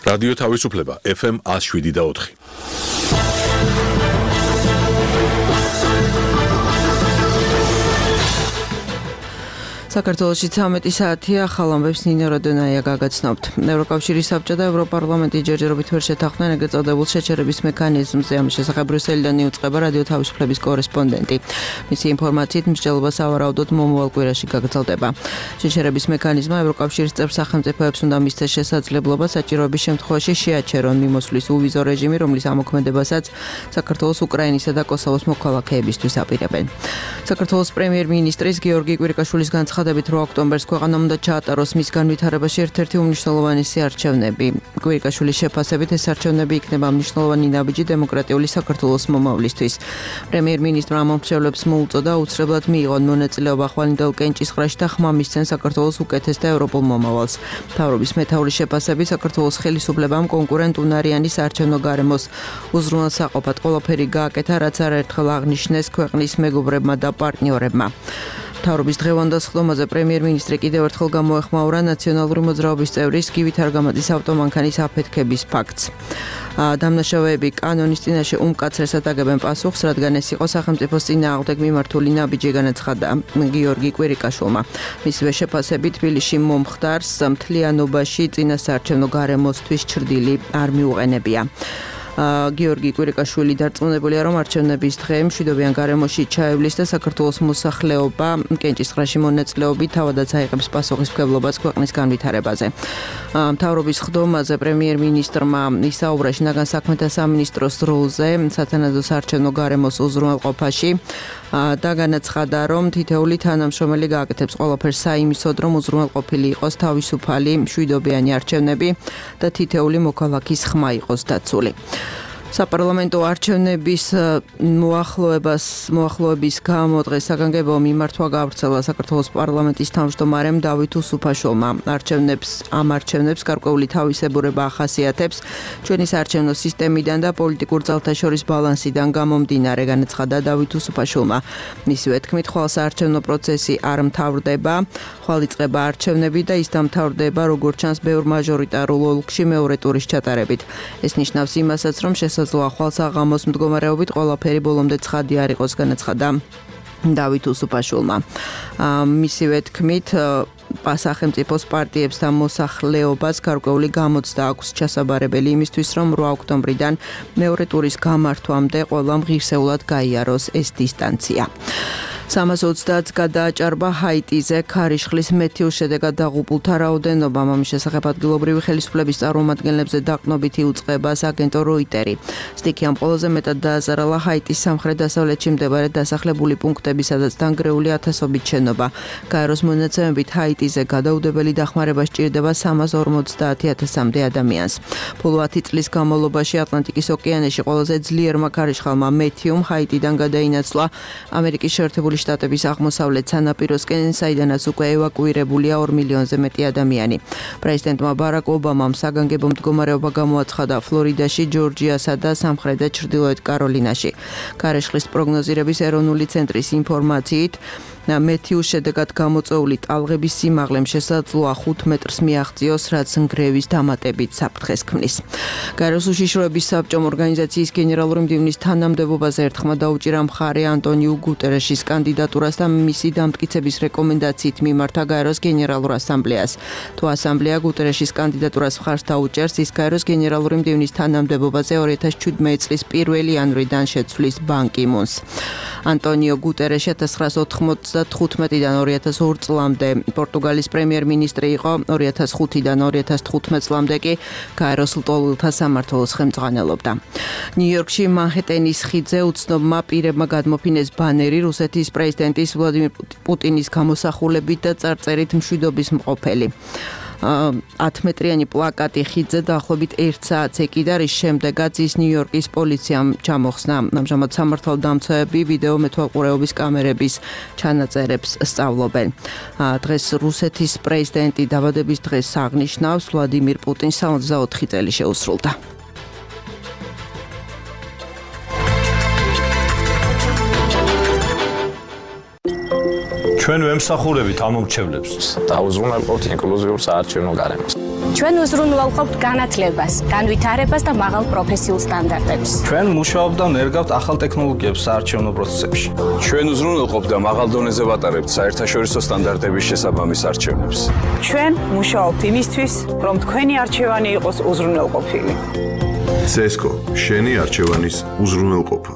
რადიო თავისუფლება FM 107.4. საქართველოში 13 საათია, ახალ ამბებს ნინო როდონაია გაგაცნობთ. ევროკავშირის საბჭო და ევროპარლამენტი ჯერჯერობით ვერ შეთანხმდნენ ეგრეთ წოდებულ შეჩერების მექანიზმზე. ამის შესახებ ბრიუსელიდან იუწყება რადიო თავისუფლების კორესპონდენტი. მისი ინფორმაციით მსჯელობა სავარაუდოდ მომავალ კვირაში გაგრძელდება. შეჩერების მექანიზმმა ევროკავშირის წევრ სახელმწიფოებს უნდა მისცეს შესაძლებლობა საჭიროების შემთხვევაში შეაჩერონ მიმოსვლის უვიზო რეჟიმი, რომლის ამოქმედებასაც საქართველოს, უკრაინისა და კოსოვოს მოქალაქეებისთვის აპირებენ. საქართველოს პრემიერ-მინისტრის გიორგი კვირიკაშვილის განცხადებით 8 ოქტომბერს ქვეყანამ უნდა ჩაატაროს მის განვითარებაში ერთ-ერთი უმნიშვნელოვანესი არჩევნები. კვირიკაშვილის შეფასებით ეს არჩევნები იქნება მნიშვნელოვანი ნაბიჯი დემოკრატიული საქართველოს მომავლისთვის. პრემიერ-მინისტრმა მომხმარებლებს მოუწოდა აუცილებლად მიიღონ მონაწილეობა ხვალინდელ კენჭისყრაში და ხმა მისცენ საქართველოს უკეთეს და ევროპულ მომავალს. მთავრობის მეთაურის შეფასებით საქართველოს ხელისუფლებამ კონკურენტუნარიანი საარჩევნო გარემოს უზრუნველსაყოფად ყველაფერი გააკეთა, რაც არაერთხელ აღნიშნეს ქვეყნის მეგობრებმა და პარტნიორებმა. მთავრობის დღევანდელ სხდომაზე პრემიერ-მინისტრი კიდევ ერთხელ გამოეხმაურა ნაციონალური მოძრაობის წევრის გივით არგამაძის ავტომანქანის აფეთქების ფაქტს. დამნაშავეები კანონის წინაშე უმკაცრესად აგებენ პასუხს, რადგან ეს იყო სახელმწიფოს წინააღმდეგ მიმართული ნაბიჯი, განაცხადა გიორგი კვირიკაშვილმა. მისივე შეფასებით თბილისში მომხდარს მთლიანობაში წინასაარჩევნო გარემოსთვის ჩრდილი არ მიუყენებია. გიორგი კვირიკაშვილი დარწმუნებულია, რომ არჩევნების დღე მშვიდობიან გარემოში ჩაევლის და საქართველოს მოსახლეობა კენჭისყრაში მონაწილეობით თავადაც აიღებს პასუხისმგებლობას ქვეყნის განვითარებაზე. მთავრობის ხდომაზე პრემიერ-მინისტრმა ისაუბრა შინაგან საქმეთა სამინისტროს როლზე სათანადო საარჩევნო გარემოს უზრუნველყოფაში და განაცხადა, რომ თითეული თანამშრომელი გააკეთებს ყველაფერს საიმისოდ, რომ უზრუნველყოფილი იყოს თავისუფალი მშვიდობიანი არჩევნები და თითეული მოქალაქის ხმა იყოს დაცული. საპარლამენტო არჩევნების მოახლოების გამო დღეს საგანგებო მიმართვა გაავრცელა საქართველოს პარლამენტის თავმჯდომარემ დავით უსუფაშვილმა. ამ არჩევნებს გარკვეული თავისებურება ახასიათებს ჩვენი საარჩევნო სისტემიდან და პოლიტიკურ ძალთა შორის ბალანსიდან გამომდინარე, განაცხადა დავით უსუფაშვილმა. მისივე თქმით, ხვალ საარჩევნო პროცესი არ მთავრდება, ხვალ იწყება არჩევნები და ის დამთავრდება, როგორც ჩანს, ბევრ მაჟორიტარულ ოლქში მეორე ტურის ჩატარებით. ეს ნიშნავს იმასაც, რომ შესაძლოა ხვალ საღამოს მდგომარეობით ყველაფერი ბოლომდე ცხადი არ იყოს, განაცხადა დავით უსუფაშვილმა. მისივე თქმით, სახელმწიფოს პარტიებს და მოსახლეობას გარკვეული გამოცდა აქვს ჩასაბარებელი იმისთვის, რომ 8 ოქტომბრიდან მეორე ტურის გამართვამდე ყველამ ღირსეულად გაიაროს ეს დისტანცია. 330 გადააჭარბა ჰაიტიზე ქარიშხლის მეთიურ შედეგად დაღუპულთა რაოდენობა. ამის შესახებ ადგილობრივი ხელისუფლების წარმომადგენლებზე დაყრდნობით იუწყებას აგენტო როიტერი. სტიქიამ ყველაზე მეტად დააზარალა ჰაიტის სამხრეთ-დასავლეთში მდებარე დასახლებული პუნქტები, სადაც დანგრეული ათასობით შენობა. გაეროს მონაცემებით ჰაიტიზე გადაუდებელი დახმარება სჭირდება 350,000-მდე ადამიანს. ბოლო 10 წლის განმავლობაში ატლანტიკის ოკეანეში ყველაზე ძლიერმა ქარიშხალმა მეთიუმ ჰაიტიდან გადაინაცვლა ამერიკის შეერთებული შტატების აღმოსავლეთ სანაპიროსკენ, საიდანაც უკვე ევაკუირებულია 2 მილიონზე მეტი ადამიანი. პრეზიდენტმა ბარაკ ობამამ საგანგებო მდგომარეობა გამოაცხადა ფლორიდაში, ჯორჯიასა და სამხრეთ და ჩრდილოეთ კაროლინაში. ქარიშხლის პროგნოზირების ეროვნული ცენტრის ინფორმაციით, მეთიუს შედეგად გამოწვეული ტალღების სიმაღლემ შესაძლოა 5 მეტრს მიაღწიოს, რაც ნგრევის დამატებით საფრთხეს ქმნის. გაეროს უშიშროების საბჭომ ორგანიზაციის გენერალური მდივნის თანამდებობაზე ერთხმა დაუჭირა მხარე ანტონიუ გუტერეშის კანდიდატურას და მისი დამტკიცების რეკომენდაციით მიმართა გაეროს გენერალურ ასამბლეას. თუ ასამბლეა გუტერეშის კანდიდატურას მხარს დაუჭერს, ის გაეროს გენერალური მდივნის თანამდებობაზე 2017 წლის 1 იანვრიდან შეცვლის ბან კი მუნს. ანტონიო გუტერეში 1995-დან 2002 წლამდე პორტუგალის პრემიერ-მინისტრი იყო, 2005-დან 2015 წლამდე კი გაეროს ლტოლვილთა სამმართველოს ხელმძღვანელობდა. ნიუ-იორკში მანჰეტენის ხიდზე უცნობმა პირებმა გადმოფინეს ბანერი რუსეთის პრეზიდენტის ვლადიმირ პუტინის გამოსახულებით და წარწერით მშვიდობის მყოფელი. 10 მეტრიანი პლაკატი ხიდზე დაახლოებით 1 საათს ეკიდა, რის შემდეგაც ის ნიუ-იორკის პოლიციამ ჩამოხსნა. ამჟამად სამართალდამცავები ვიდეო მეთვალყურეობის კამერების ჩანაწერებს სწავლობენ. დღეს რუსეთის პრეზიდენტი დაბადების დღეს აღნიშნავს, ვლადიმირ პუტინს 64 წელი შეუსრულდა. ჩვენ ვემსახურებით ამ მომრჩევლებს. დაუზრუნველყოთ ინკლუზიურ საარჩევნო გარემოს. ჩვენ უზრუნველყოფთ განათლებას, განვითარებას და მაღალ პროფესიულ სტანდარტებს. ჩვენ მუშაობთ და ნერგავთ ახალ ტექნოლოგიებს საარჩევნო პროცესებში. ჩვენ უზრუნველყოფთ და მაღალ დონეზე ვატარებთ საერთაშორისო სტანდარტების შესაბამის არჩევნებს. ჩვენ მუშაობთ იმისთვის, რომ თქვენი არჩევანი იყოს უზრუნველყოფილი. CESCO შენი არჩევანის უზრუნველყოფა.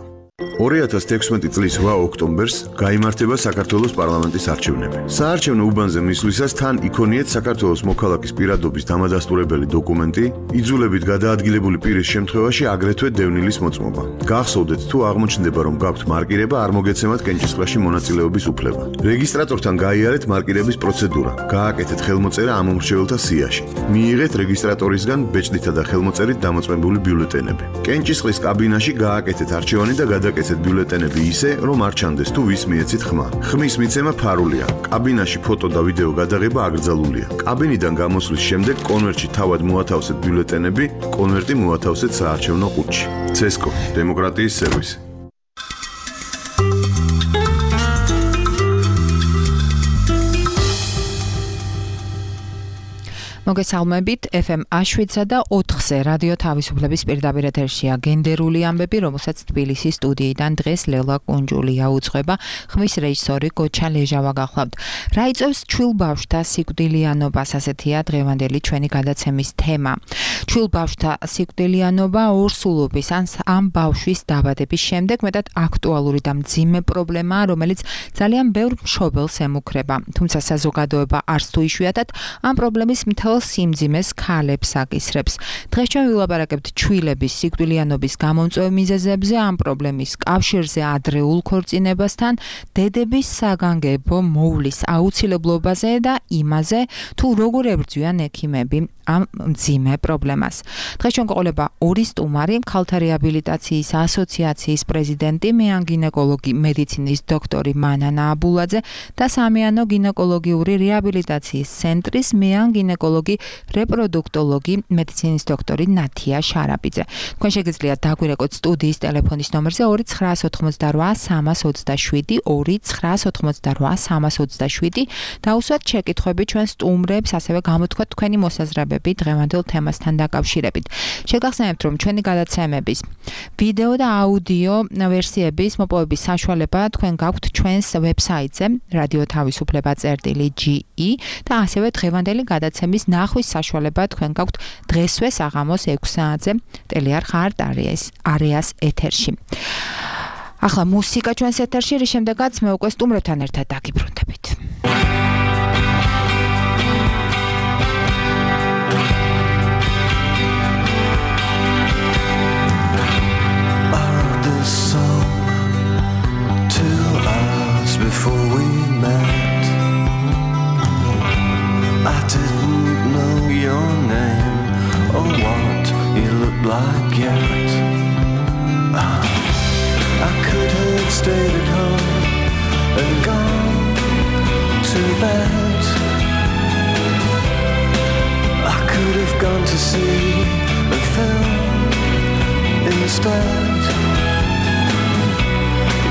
2016 წლის 8 ოქტომბერს გაიმართება საქართველოს პარლამენტის არჩევნები. საარჩევნო უბანზე მისვლისას თან იქონიეთ საქართველოს მოქალაქის პირადობის დამადასტურებელი დოკუმენტი, იძულებით გადაადგილებული პირის შემთხვევაში აგრეთვე დევნილის მოწმობა. გახსოვდეთ თუ აღმოჩნდება რომ გაქვთ მარკირება, არ მოგეცემათ კენჭისყრაში მონაწილეობის უფლება. რეგისტრატორთან გაიარეთ მარკირების პროცედურა, გააკეთეთ ხელმოწერა ამ მომრჩეველთა სიაში. მიიღეთ რეგისტრატორისგან ბეჭდითა და ხელმოწერით დამოწმებული ბიულეტენები. კენჭისყრის კაბინაში გააკეთეთ არჩევანი და გადაკეთეთ ბიულეტენები ისე, რომ არ ჩანდეს თუ ვის მიეცით ხმა. ხმის მიცემა ფარულია. კაბინაში ფოტო და ვიდეო გადაღება აკრძალულია. კაბინიდან გამოსვლის შემდეგ კონვერტში თავად მოათავსეთ ბიულეტენები, კონვერტი მოათავსეთ საარჩევნო ყუთში. CESCO დემოკრატიის სერვისი. მოგესალმებით, FM A7-სა და 4-ზე რადიო თავისუფლების პირდაპირ ეთერშია გენდერული ამბები, რომელსაც თბილისის სტუდიიდან დღეს ლელა კუნჯულია უძღვება, ხმის რეჟისორი გოჩა ლეჟავა გახლავთ. რა იწვევს ჩვილ ბავშვთა სიკვდილიანობას, ასეთია დღევანდელი ჩვენი გადაცემის თემა. ჩვილ ბავშვთა სიკვდილიანობა ორსულობის ამ ბავშვის დაბადების შემდეგ მეტად აქტუალური და მძიმე პრობლემაა, რომელიც ძალიან ბევრ მშობელს ემუქრება. თუმცა საზოგადოება არც თუ იშვიათად ამ პრობლემის მთელ სიმძიმეს ქალებს აკისრებს. დღეს ჩვენ ვილაპარაკებთ ჩვილების სიკვდილიანობის გამომწვევ მიზეზებზე, ამ პრობლემის კავშირზე ადრეულ ქორწინებასთან, დედების საგანგებო მოვლის აუცილებლობაზე და იმაზე, თუ როგორ ებრძვიან ექიმები ამ მძიმე პრობლემას. დღეს ჩვენ გვყოლება ორი სტუმარი, ქალთა რეაბილიტაციის ასოციაციის პრეზიდენტი, მეან გინეკოლოგი მედიცინის დოქტორი მანანა აბულაძე და სამიანო გინეკოლოგიური რეაბილიტაციის ცენტრის მეან გინეკოლოგი რეპროდუქტოლოგი მედიცინის დოქტორი ნათია შარაპიძე. თქვენ შეგიძლიათ დაგვირეკოთ სტუდიის ტელეფონის ნომერზე 298 327 298 327 დაუსვათ შეკითხვები ჩვენ სტუმრებს, ასევე გამოთქვათ თქვენი მოსაზრებები დღევანდელ თემასთან დაკავშირებით. შეგახსენებთ, რომ ჩვენი გადაცემების ვიდეო და აუდიო ვერსიების მოპოვების საშუალება თქვენ გაქვთ ჩვენს ვებსაიტზე radio.tavisupleba.ge და ასევე დღევანდელი გადაცემის ნახვის საშუალება თქვენ გაქვთ დღესვე საღამოს 6 საათზე ტელეარხ არტ არეას ეთერში. ახლა მუსიკა ჩვენს ეთერში, რის შემდეგაც მე უკვე სტუმრებთან ერთად დაგიბრუნდებით. Before we met, I didn't know your name or what you looked like yet. I could have stayed at home and gone to bed. I could have gone to see a film instead.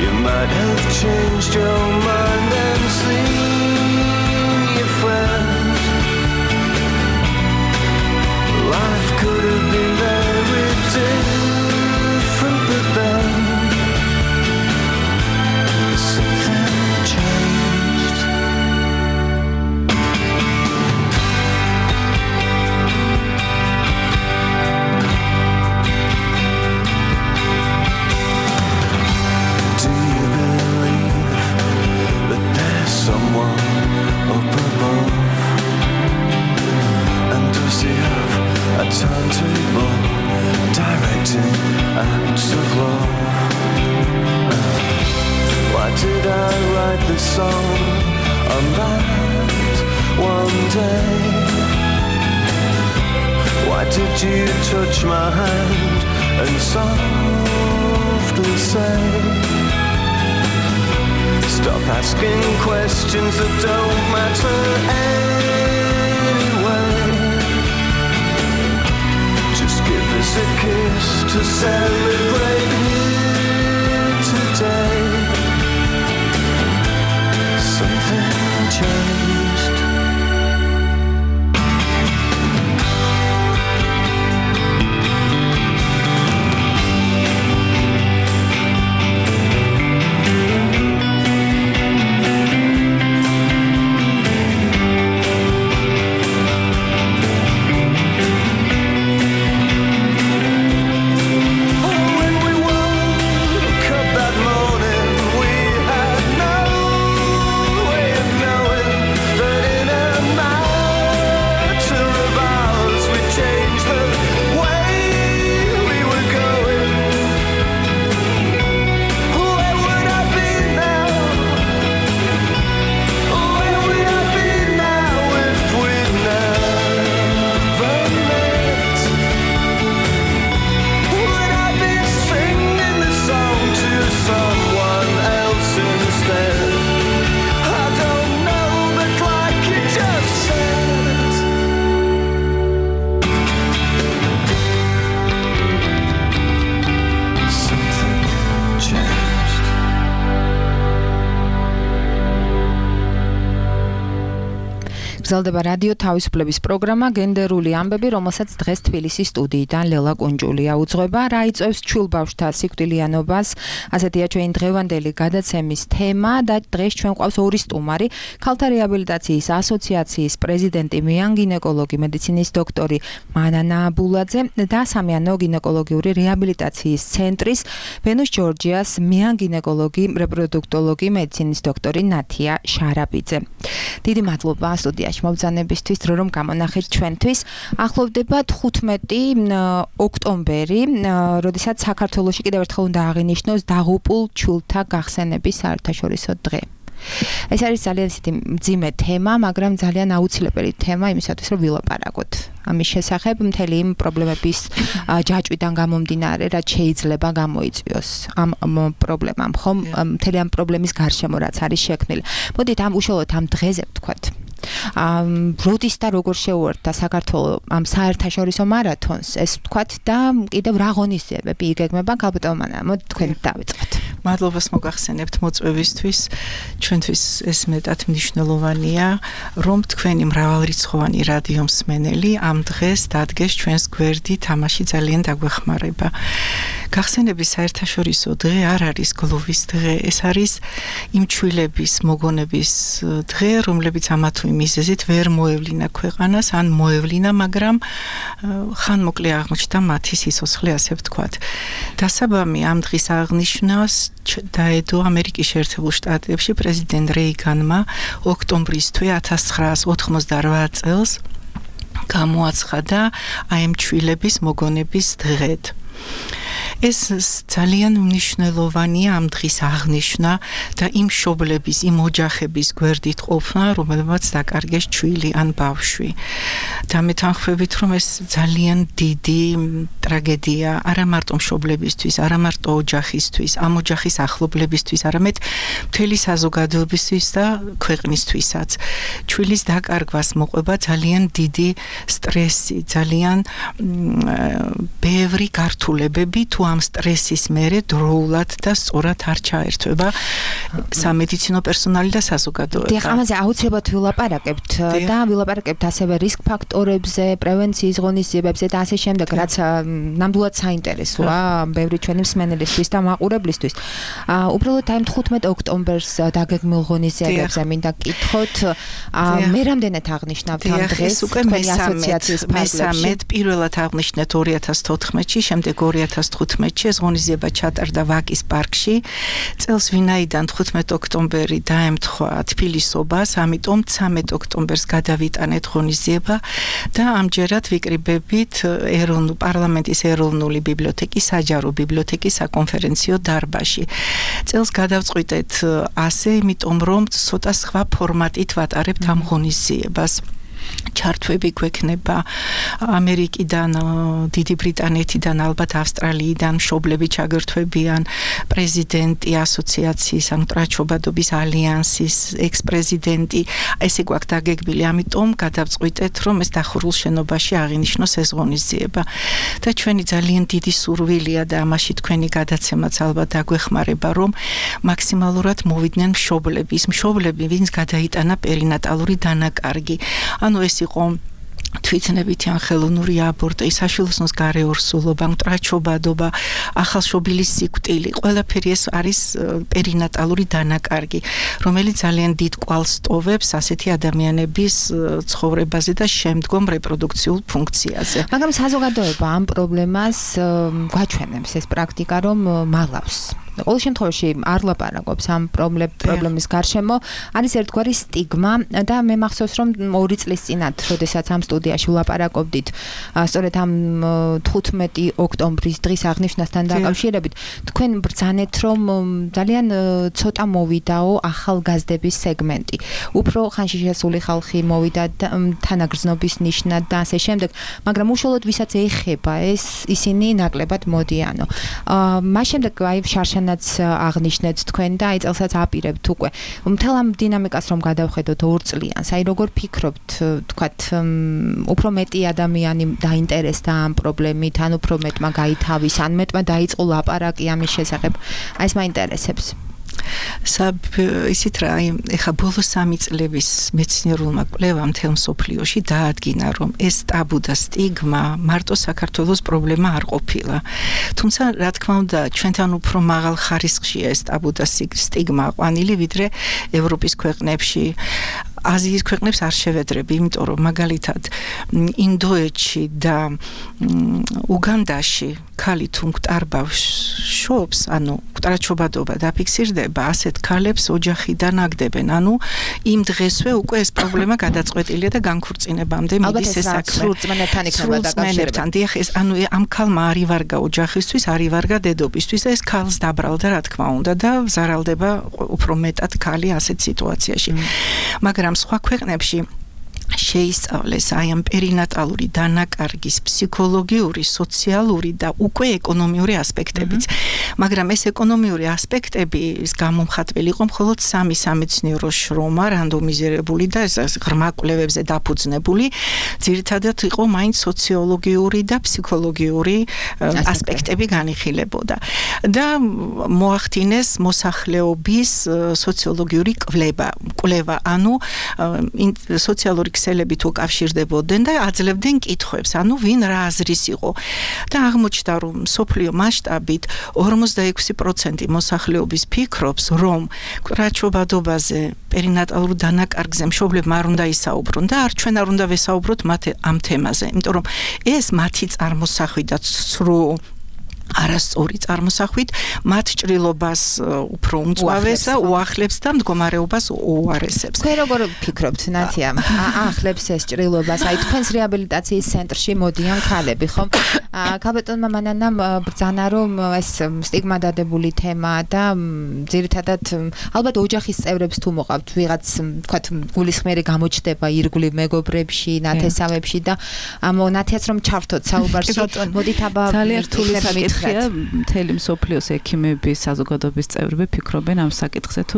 You might have changed your mind and seen your friend. Life could have been very different, but then something changed. Someone up above, and does he have a timetable directing acts of love? Why did I write this song on that one day? Why did you touch my hand and softly say, stop asking questions that don't matter anyway. Just give us a kiss to celebrate here today. Something changed. გრძელდება რადიო თავისუფლების პროგრამა გენდერული ამბები, რომელსაც დღეს თბილისის სტუდიიდან ლელა კუნჯულია უძღვება. რა იწვევს ჩვილბავშვთა სიკვდილიანობას? ასეთია ჩვენი დღევანდელი გადაცემის თემა და დღეს ჩვენ გვყავს ორი სტუმარი, ქალთა რეაბილიტაციის ასოციაციის პრეზიდენტი, მეანგინეკოლოგი, მედიცინის დოქტორი მანანა აბულაძე და სამიანო გინეკოლოგიური რეაბილიტაციის ცენტრის ვენუს ჯორჯიას მეანგინეკოლოგი, რეპროდუქტოლოგი, მედიცინის დოქტორი ნათია შარაბიძე. დიდი მადლობა სტუდიაში მობრძანებისთვის, რომ გამონახეთ ჩვენთვის. ახლოვდება 15 ოქტომბერი, როდესაც საქართველოში კიდევ ერთხელ უნდა აღინიშნოს დაღუპულ ჩვილთა გახსენების საერთაშორისო დღე. ეს არის ძალიან მძიმე თემა, მაგრამ ძალიან აუცილებელი თემა იმისათვის, რომ ვილაპარაკოთ. ამის შესახებ მთელი იმ პრობლემების ჯაჭვიდან გამომდინარე, რაც შეიძლება გამოიწვიოს ამ პრობლემამ, ხომ? მთელი ამ პრობლემის გარშემო რაც არის შექმნილი. მოდით უშუალოდ ამ დღეზე ვთქვათ. როდის და როგორ შეუერთდა საქართველო ამ საერთაშორისო მარათონს, ეს ვთქვათ და კიდევ რა ღონისძიებები იგეგმება გაბატონმანა. მოდით თქვენ დავიწყოთ. მადლობას მოგახსენებთ მოწვევისთვის. ჩვენთვის ეს მეტად მნიშვნელოვანია, რომ თქვენი მრავალრიცხოვანი რადიო მსმენელი ამ დღეს დადგეს ჩვენს გვერდით, ამაში ძალიან დაგვეხმარება. გახსენების საერთაშორისო დღე არ არის გლოვის დღე, ეს არის იმ ჩვილების მოგონების დღე, რომლებიც ამა თუ იმ მიზეზით ვერ მოევლინა ქვეყანას, ან მოევლინა, მაგრამ ხანმოკლე აღმოჩნდა მათი სიცოცხლე, ასე ვთქვათ. დასაბამი ამ დღის აღნიშვნას დაედო ამერიკის შეერთებულ შტატებში პრეზიდენტ რეიგანმა ოქტომბრის თვე 1988 წელს გამოაცხადა აი ამ ჩვილების მოგონების დღედ. ეს ძალიან მნიშვნელოვანია ამ დღის აღნიშვნა და იმ მშობლების, იმ ოჯახების გვერდით ყოფნა, რომელმაც დაკარგეს ჩვილი ან ბავშვი. და მე თანხმებით, რომ ეს ძალიან დიდი ტრაგედია არა მარტო მშობლებისთვის, არა მარტო ოჯახისთვის, ამ ოჯახის ახლობლებისთვის, არამედ მთელი საზოგადოებისთვის და ქვეყნისთვისაც. ჩვილის დაკარგვას მოყვება ძალიან დიდი სტრესი, ძალიან ბევრი გართულებები თუ ამ სტრესის მერე დროულად და სწორად არ ჩაერთვება სამედიცინო პერსონალი და საზოგადოება. დიახ, ამაზე აუცილებლად ვილაპარაკებთ და ვილაპარაკებთ ასევე რისკ ფაქტორებზე, პრევენციის ღონისძიებებზე და ასე შემდეგ, რაც ნამდვილად საინტერესოა ბევრი ჩვენი მსმენელისთვის და მაყურებლისთვის. უბრალოდ აი 15 ოქტომბერს დაგეგმილ ღონისძიებებზე მინდა გკითხოთ, მე რამდენად აღნიშნავთ ამ დღეს თქვენი ასოციაციის ფარგლებში? პირველად აღნიშნეთ 2014-ში, შემდეგ 2015-ში ეს ღონისძიება ჩატარდა ვაკის პარკში. წელს ვინაიდან 15 ოქტომბერი დაემთხვა თბილისობას, ამიტომ 13 ოქტომბერს გადავიტანეთ ღონისძიება და ამჯერად ვიკრიბებით პარლამენტის ეროვნული ბიბლიოთეკის, საჯარო ბიბლიოთეკის საკონფერენციო დარბაზში. წელს გადავწყვიტეთ ასე, იმიტომ რომ ცოტა სხვა ფორმატით ვატარებთ ამ ღონისძიებას. ჩართვები გვექნება ამერიკიდან, დიდი ბრიტანეთიდან, ალბათ ავსტრალიიდან მშობლები ჩაგერთვებიან, პრეზიდენტი ასოციაციის, ან მტრაჩობადობის ალიანსის ექს-პრეზიდენტი, ესე გვაქვს დაგეგმილი, ამიტომ გადავწყვიტეთ, რომ ეს დახურულ შენობაში აღინიშნოს ეს ღონისძიება. და ჩვენი ძალიან დიდი სურვილია და ამაში თქვენი გადაცემაც ალბათ დაგვეხმარება, რომ მაქსიმალურად მოვიდნენ მშობლები, ვინც გადაიტანა პერინატალური დანაკარგი. ანუ ეს იყო თვითნებითი ან ხელოვნური აბორტი, საშვილოსნოს გარეორსულობა, მტრაჩობადობა, ახალშობილის სიკვდილი, ყველაფერი ეს არის პერინატალური დანაკარგი, რომელიც ძალიან დიდ კვალს ტოვებს ასეთი ადამიანების ცხოვრებაზე და შემდგომ რეპროდუქციულ ფუნქციაზე. მაგრამ საზოგადოება ამ პრობლემას გვაჩვენებს ეს პრაქტიკა, რომ მალავს. ყოველ შემთხვევაში არ ლაპარაკობს ამ პრობლემის გარშემო, არის ერთგვარი სტიგმა და მე მახსოვს, რომ 2 წლის წინათ, როდესაც ამ სტუდიაში ვლაპარაკობდით, სწორედ ამ 15 ოქტომბრის დღის აღნიშვნასთან დაკავშირებით, თქვენ ბრძანეთ, რომ ძალიან ცოტა მოვიდაო ახალგაზრდების სეგმენტი. უფრო ხანში შესული ხალხი მოვიდა თანაგრძნობის ნიშნად და ასე შემდეგ, მაგრამ უშუალოდ ვისაც ეხება ეს, ისინი ნაკლებად მოდიანო. მას შემდეგ აი შარშანაც აღნიშნეთ თქვენ და აი წელსაც აპირებთ უკვე. მთელ ამ დინამიკას რომ გადავხედოთ 2 წლიანს, აი როგორ ფიქრობთ, თქვათ, უფრო მეტი ადამიანი დაინტერესდა ამ პრობლემით, ან უფრო მეტმა გაითავის, ან მეტმა დაიწყო ლაპარაკი ამის შესახებ. აი ეს მაინტერესებს. ისიც რა, ეხა ბოლო 3 წლების მეცნიერულმა კვლევამ მთელ მსოფლიოში დაადგინა, რომ ეს ტაბუ და სტიგმა მარტო საქართველოს პრობლემა არ ყოფილა. თუმცა, რა თქმა უნდა, ჩვენთან უფრო მაღალ ხარისხშია ეს ტაბუ და სტიგმა ყვანილი, ვიდრე ევროპის ქვეყნებში. აზიის ქვეყნებს არ შევედრები, იმიტომ რომ მაგალითად ინდოეთში და უგანდაში ქალი თუ მკვდარბავს შობს, ანუ მკვდარჩობადობა დაფიქსირდება, ასეთ ქალებს ოჯახიდან აგდებენ. ანუ იმ დღესვე უკვე ეს პრობლემა გადაწყვეტილია და განქორწინებამდე მიდის ეს საქმე. სრულწმენებთან იქნება დაკავშირებული. დიახ, ეს ანუ ამ ქალმა არ ივარგა ოჯახისთვის, არ ივარგა დედობისთვის და ეს ქალს დაბრალდა, რა თქმა უნდა, და ზარალდება უფრო მეტად ქალი ასეთ სიტუაციაში. მაგრამ სხვა ქვეყნებში შეისწავლეს აი ამ პერინატალური დანაკარგის ფსიქოლოგიური, სოციალური და უკვე ეკონომიური ასპექტებიც. მაგრამ ეს ეკონომიური ასპექტები გამომხატველი იყო მხოლოდ 3 სამეცნიერო შრომა, რანდომიზირებული და ღრმა კვლევებზე დაფუძნებული. ძირითადად იყო მაინც სოციოლოგიური და ფსიქოლოგიური ასპექტები განიხილებოდა. და მოახდინეს მოსახლეობის სოციოლოგიური კვლევა, ანუ სოციალური ქსელებით უკავშირდებოდნენ და აძლევდნენ კითხვებს, ანუ ვინ რა აზრის იყო. და აღმოჩნდა, რომ მსოფლიო მასშტაბით 46% მოსახლეობის ფიქრობს, რომ მკვდარჩობადობაზე, პერინატალურ დანაკარგზე მშობლებმა არ უნდა ისაუბრონ და ჩვენ არ უნდა ვესაუბროთ მათ ამ თემაზე, იმიტომ რომ ეს მათი წარმოსახვით და ცრუ არასწორი წარმოსახვით მათ ჭრილობას უფრო უმწვავეს და უახლებს და მდგომარეობას უარესებს. თქვენ როგორ ფიქრობთ, ნათია? აახლებს ეს ჭრილობას? აი თქვენს რეაბილიტაციის ცენტრში მოდიან ქალები, ხომ? ქალბატონმა მანანამ ბრძანა, რომ ეს სტიგმა დადებული თემა და ძირითადად ალბათ ოჯახის წევრებს თუ მოყავთ ვიღაც, თქვათ, გულისხმიერი გამოჩნდება ირგვლივ მეგობრებში, ნათესავებში და ნათიაც რომ ჩართოთ საუბარში, მოდით აბა ძალიან რთული საკითხია. მთელი მსოფლიოს ექიმების საზოგადოების წევრები ფიქრობენ ამ საკითხზე, თუ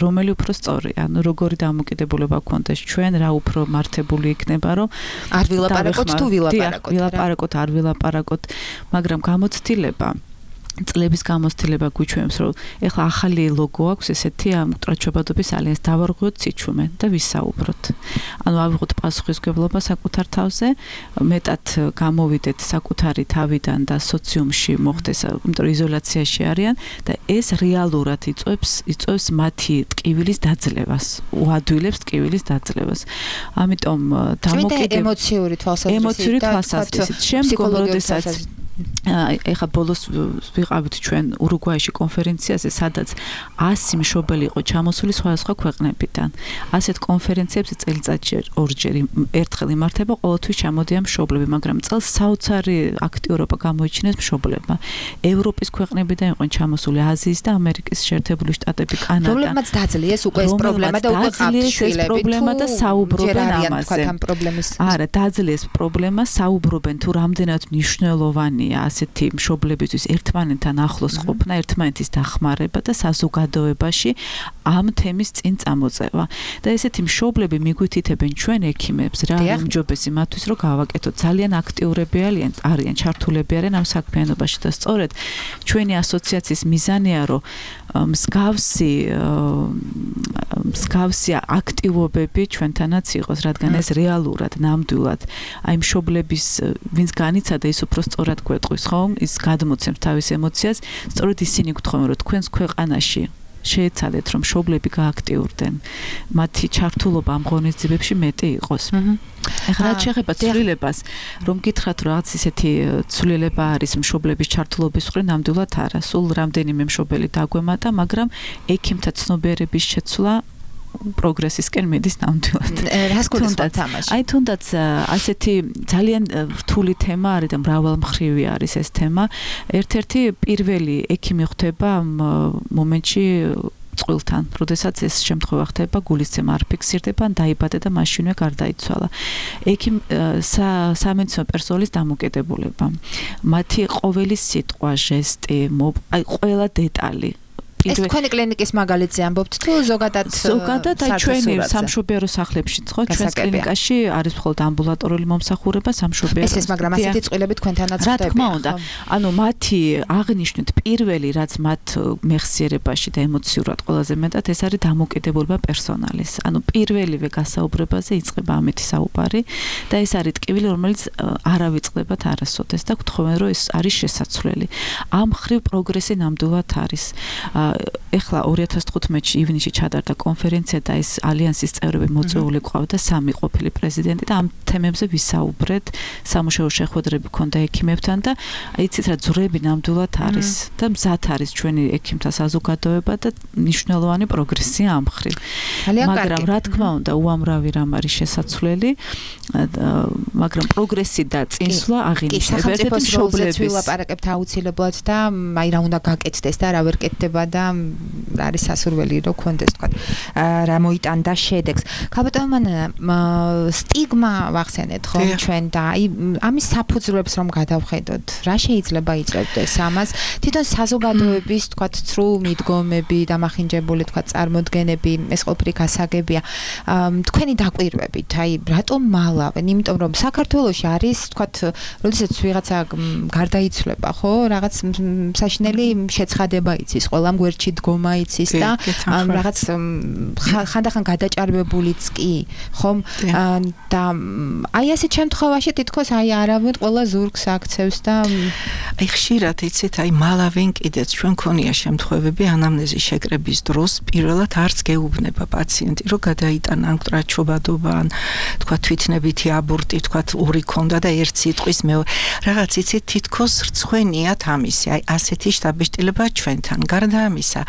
რომელი უფრო სწორია, ანუ როგორი დამოკიდებულება გქონდეს ჩვენ, რა უფრო მართებული იქნება, რომ არ ვილაპარაკოთ თუ ვილაპარაკოთ. ვილაპარაკოთ, არ ვილაპარაკოთ, მაგრამ გამოცდილება წლების გამოცდილება გვიჩვენებს, რომ ეხლა ახალი ლოგო აქვს ესეთი ამ მკვდარჩობადობის ალიანსს დავარღვიოთ სიჩუმე და ვისაუბროთ. ანუ ავიღოთ პასუხისმგებლობა საკუთარ თავზე, მეტად გამოვიდეთ საკუთარი თავიდან და სოციუმში მოხდეს, იმიტომ რომ იზოლაციაში არიან და ეს რეალურად იწვევს მათი ტკივილის დაძლევას, უადვილებს ტკივილის დაძლევას. ამიტომ ემოციური თვალსაზრისით შემდგომ როდესაც ეხა ბოლოს ვიყავით ჩვენ ურუგვაიში კონფერენციაზე, სადაც 100 მშობელი იყო ჩამოსული სხვადასხვა ქვეყნებიდან. ასეთ კონფერენციებზე წელიწადში ორჯერ ერთხელ იმართება, ყოველთვის ჩამოდიან მშობლები, მაგრამ წელს საოცარი აქტიურობა გამოიჩინეს მშობლებმა. ევროპის ქვეყნებიდან იყვნენ ჩამოსული, აზიის და ამერიკის შეერთებული შტატები, კანადა. პრობლემაც დაძლიეს უკვე ეს პრობლემა და უკვე ყავთ შვილები. პრობლემა და საუბრობენ ამაზე. არა, დაძლიეს პრობლემა, საუბრობენ თუ რამდენად მნიშვნელოვანია ასეთი მშობლებისთვის ერთმანეთთან ახლოს ყოფნა, ერთმანეთის დახმარება და საზოგადოებაში ამ თემის წინ წამოწევა. და ესეთი მშობლები მიგვითითებენ ჩვენ ექიმებს, რა უმჯობესი მათთვის, რომ გავაკეთოთ. ძალიან აქტიურები არიან, ჩართულები არიან ამ საქმიანობაში და სწორედ ჩვენი ასოციაციის მიზანია, რომ მსგავსი აქტივობები ჩვენთანაც იყოს, რადგან ეს რეალურად, ნამდვილად, აი მშობლების, ვინც განიცადა, ის უფრო სწორად გვეტყვის, ხო? ის გადმოცემს თავის ემოციას, სწორედ ისინი გთხოვენ, რომ თქვენს ქვეყანაში შეეცადეთ, რომ მშობლები გააქტიურდნენ, მათი ჩართულობა ამ ღონისძიებებში მეტი იყოს. ეხლა რაც შეეხება ცვლილებას, რომ გითხრათ, რომ რაღაც ისეთი ცვლილება არის მშობლების ჩართულობის მხრივ, ნამდვილად არა. სულ რამდენიმე მშობელი დაგვემატა, მაგრამ ექიმთა ცნობიერების შეცვლა პროგრესისკენ მიდის ნამდვილად. რას გულისხმობთ ამაში? აი თუნდაც ასეთი ძალიან რთული თემა არის და მრავალმხრივი არის ეს თემა. ერთ-ერთი პირველი ექიმი ხდება ამ მომენტში წყვილთან, როდესაც ეს შემთხვევა ხდება, გულისცემა არ ფიქსირდება, ან დაიბადა და მაშინვე გარდაიცვალა. სამედიცინო პერსონალის დამოკიდებულება, მათი ყოველი სიტყვა, ჟესტი, აი ყველა დეტალი ეს თქვენი კლინიკის მაგალითზე ამბობთ თუ ზოგადად აი ჩვენი სამშობიარო სახლებში ხო ჩვენს კლინიკაში არის მხოლოდ ამბულატორიული მომსახურება სამშობიაროს ეს მაგრამ ასეთი წყვილები თქვენთანაც ხდება რა თქმა უნდა ანუ მათი აღნიშნით პირველი რაც მათ მეხსიერებაში და ემოციურად ყველაზე მეტად ეს არის დამოკიდებულება პერსონალის ანუ პირველივე გასაუბრებაზე იწყება ამეთი საუბარი და ეს არის ტკივილი რომელიც არ ავიწყდებათ არასოდეს და გთხოვენ რომ ეს არის შესაძლებელი ამ ხრივ პროგრესი ნამდვილად არის ეხლა 2015-ში ივნისში ჩატარდა კონფერენცია და ეს ალიანსის წევრები მოწვეული ყავდა 3 ყოფილი პრეზიდენტი და ამ თემებზე ვისაუბრეთ სამუშაო შეხვედრები ქონდა ექიმებთან და იცით რა ძვრები ნამდვილად არის და მზად არის ჩვენი ექიმთა საზოგადოება და მნიშვნელოვანი პროგრესია ამ ხრივ მაგრამ რა თქმა უნდა უამრავი რამ არის შესაძლებელი მაგრამ პროგრესი და წინსვლა აღინიშნება ერთ-ერთი მშობლების ვილაპარაკებთ აუცილებლად და აი რა უნდა გაკეთდეს და რა ვერ კეთდება და არის სასურველი რომ კონდეს თქვა რა მოიტანდა შედეგს ქალბატონო სტიგმა ვახსენეთ ხო ჩვენ და აი ამის საფუძვლებს რომ გადავხედოთ რა შეიძლება იწევდეს ამას თვითონ საზოგადოების თქვა ცრუ მიდგომები დამახინჯებული თქვა წარმოდგენები ეს ყოფილი გასაგებია თქვენი დაკვირვებით აი რატომ მალავენ იმიტომ რომ საქართველოში არის თქვა როდესაც ვიღაცა გარდაიცვლება ხო რაღაც საშინელი შეცხადება იცის ყველამ გვერდში დგომა იცის და რაღაც ხანდახან გადაჭარბებულიც კი ხომ და აი ასეთ შემთხვევაში თითქოს აი არავინ ყველა ზურგს აქცევს და აი ხშირად იცით აი მალავენ კიდეც ჩვენ ქონია შემთხვევები ანამნეზის შეკრების დროს პირველად არც გეუბნება პაციენტი რომ გადაიტანა ან მკრაჩობადობა ან თქვა თვითნებითი აბორტი თქვა ორი ქონდა და ერთ სიტყვის რაღაც იცით თითქოს რცხვენიათ ამისი აი ასეთი შტაბეშტილება ჩვენთან გარდა ამისა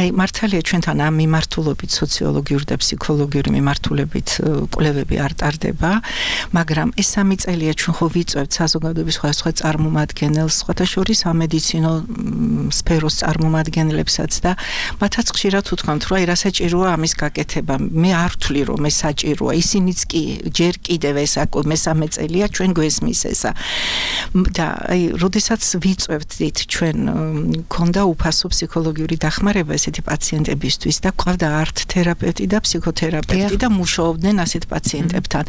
აი მართალია ჩვენთან ამ მიმართულებით სოციოლოგიური და ფსიქოლოგიური მიმართულებით კვლევები არ ტარდება მაგრამ ეს 3 წელია ჩვენ ხო ვიწევთ საზოგადოების სხვადასხვა წარმომადგენელს სხვათა შორის სამედიცინო სფეროს წარმომადგენლებსაც და მათაც ხშირად უთქვამთ რომ აი რა საჭიროა ამის გაკეთება მე არ ვთვლი რომ ეს საჭიროა ისინიც კი ჯერ კიდევ ეს მესამე წელია ჩვენ გვესმის ესა და აი როდესაც ვიწევთ ჩვენ ქონდა უფასო ფსიქოლოგიური დახმარება ესეთი პაციენტებისთვის და ყავდა არტ თერაპევტი და ფსიქოთერაპევტი და მუშაობდნენ ასეთ პაციენტებთან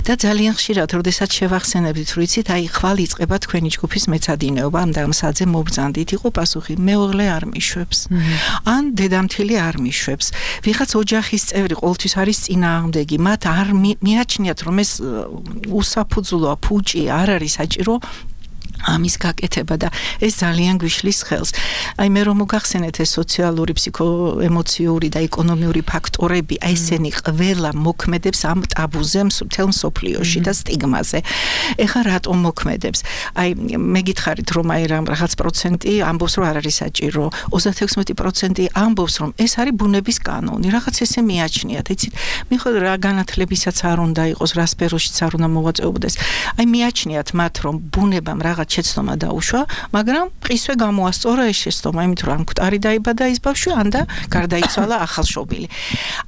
და ძალიან ხშირად როდესაც შევახსენებთ რომ იცით აი ხვალ იწყება თქვენი ჯგუფის მეცადინეობა ამ დამსაძე მობრძანდით იყო პასუხი მეუღლე არ მიშვებს ან დედამთილი არ მიშვებს ვიღაც ოჯახის წევრი ყოველთვის არის წინააღმდეგი მათ არ მიაჩნიათ რომ ეს უსაფუძვლოა ფუჭი არ არის საჭირო ამის გაკეთება და ეს ძალიან გვიშლის ხელს. აი მე რომ მოგახსენეთ ეს სოციალური, ფსიქოემოციური და ეკონომიური ფაქტორები, აი ესენი ყველა მოქმედებს ამ ტაბუზე მთელ მსოფლიოში და სტიგმაზე. ეხლა რატომ მოქმედებს? აი მე გითხარით რომ აი რაღაც პროცენტი ამბობს რომ არ არის საჭირო, 36% ამბობს რომ ეს არის ბუნების კანონი, რაღაც ესე მიაჩნიათ, იცით? მიხედავთ რა განათლებისაც არ უნდა იყოს, რა სფეროშიც არ უნდა მოვაწეობდეს. აი მიაჩნიათ მათ რომ ბუნებამ რაღაც შეცდომა დაუშვა, მაგრამ ყისვე გამოასწორა ეს შეცდომა, იმით რომ მკვდარი დაიბადა ის ბავშვი, ან და გარდაიცვალა ახალშობილი.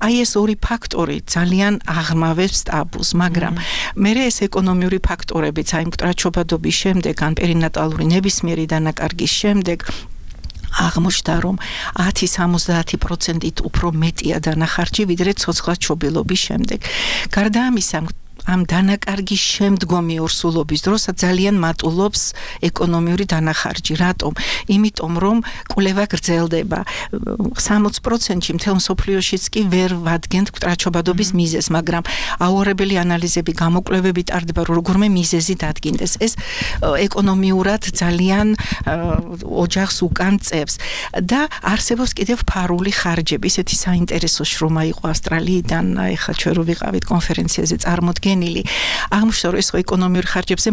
აი ეს ორი ფაქტორი ძალიან აღრმავებს ტაბუს, მაგრამ მე ეს ეკონომიური ფაქტორებიც, აი მკვდრაჩობადობის შემდეგ, ან პერინატალური ნებისმიერი დანაკარგის შემდეგ აღმოჩნდა რომ 10-70%-ით უფრო მეტია დანახარჯი ვიდრე ცოცხლადშობილობის შემდეგ. გარდა ამისა ამ დანაკარგის შემდგომი ორსულობის დროს ძალიან მატულობს ეკონომიური დანახარჯი. რატომ? იმიტომ რომ კვლევა გრძელდება. 60%-ში მთელ მსოფლიოშიც კი ვერ ვადგენთ მკვდრაჩობადობის მიზეზს, მაგრამ აუარებელი ანალიზები, გამოკვლევები ტარდება, რომ როგორმე მიზეზი დადგინდეს. ეს ეკონომიურად ძალიან ოჯახს უკან წევს და არსებობს კიდევ ფარული ხარჯები. ესეთი საინტერესო შრომა იყო ავსტრალიიდან, ეხლა ჩვენ რო ვიყავით კონფერენციაზე წარმოდგენილი. აღმოჩნდა რომ ეს ეკონომიურ ხარჯებზე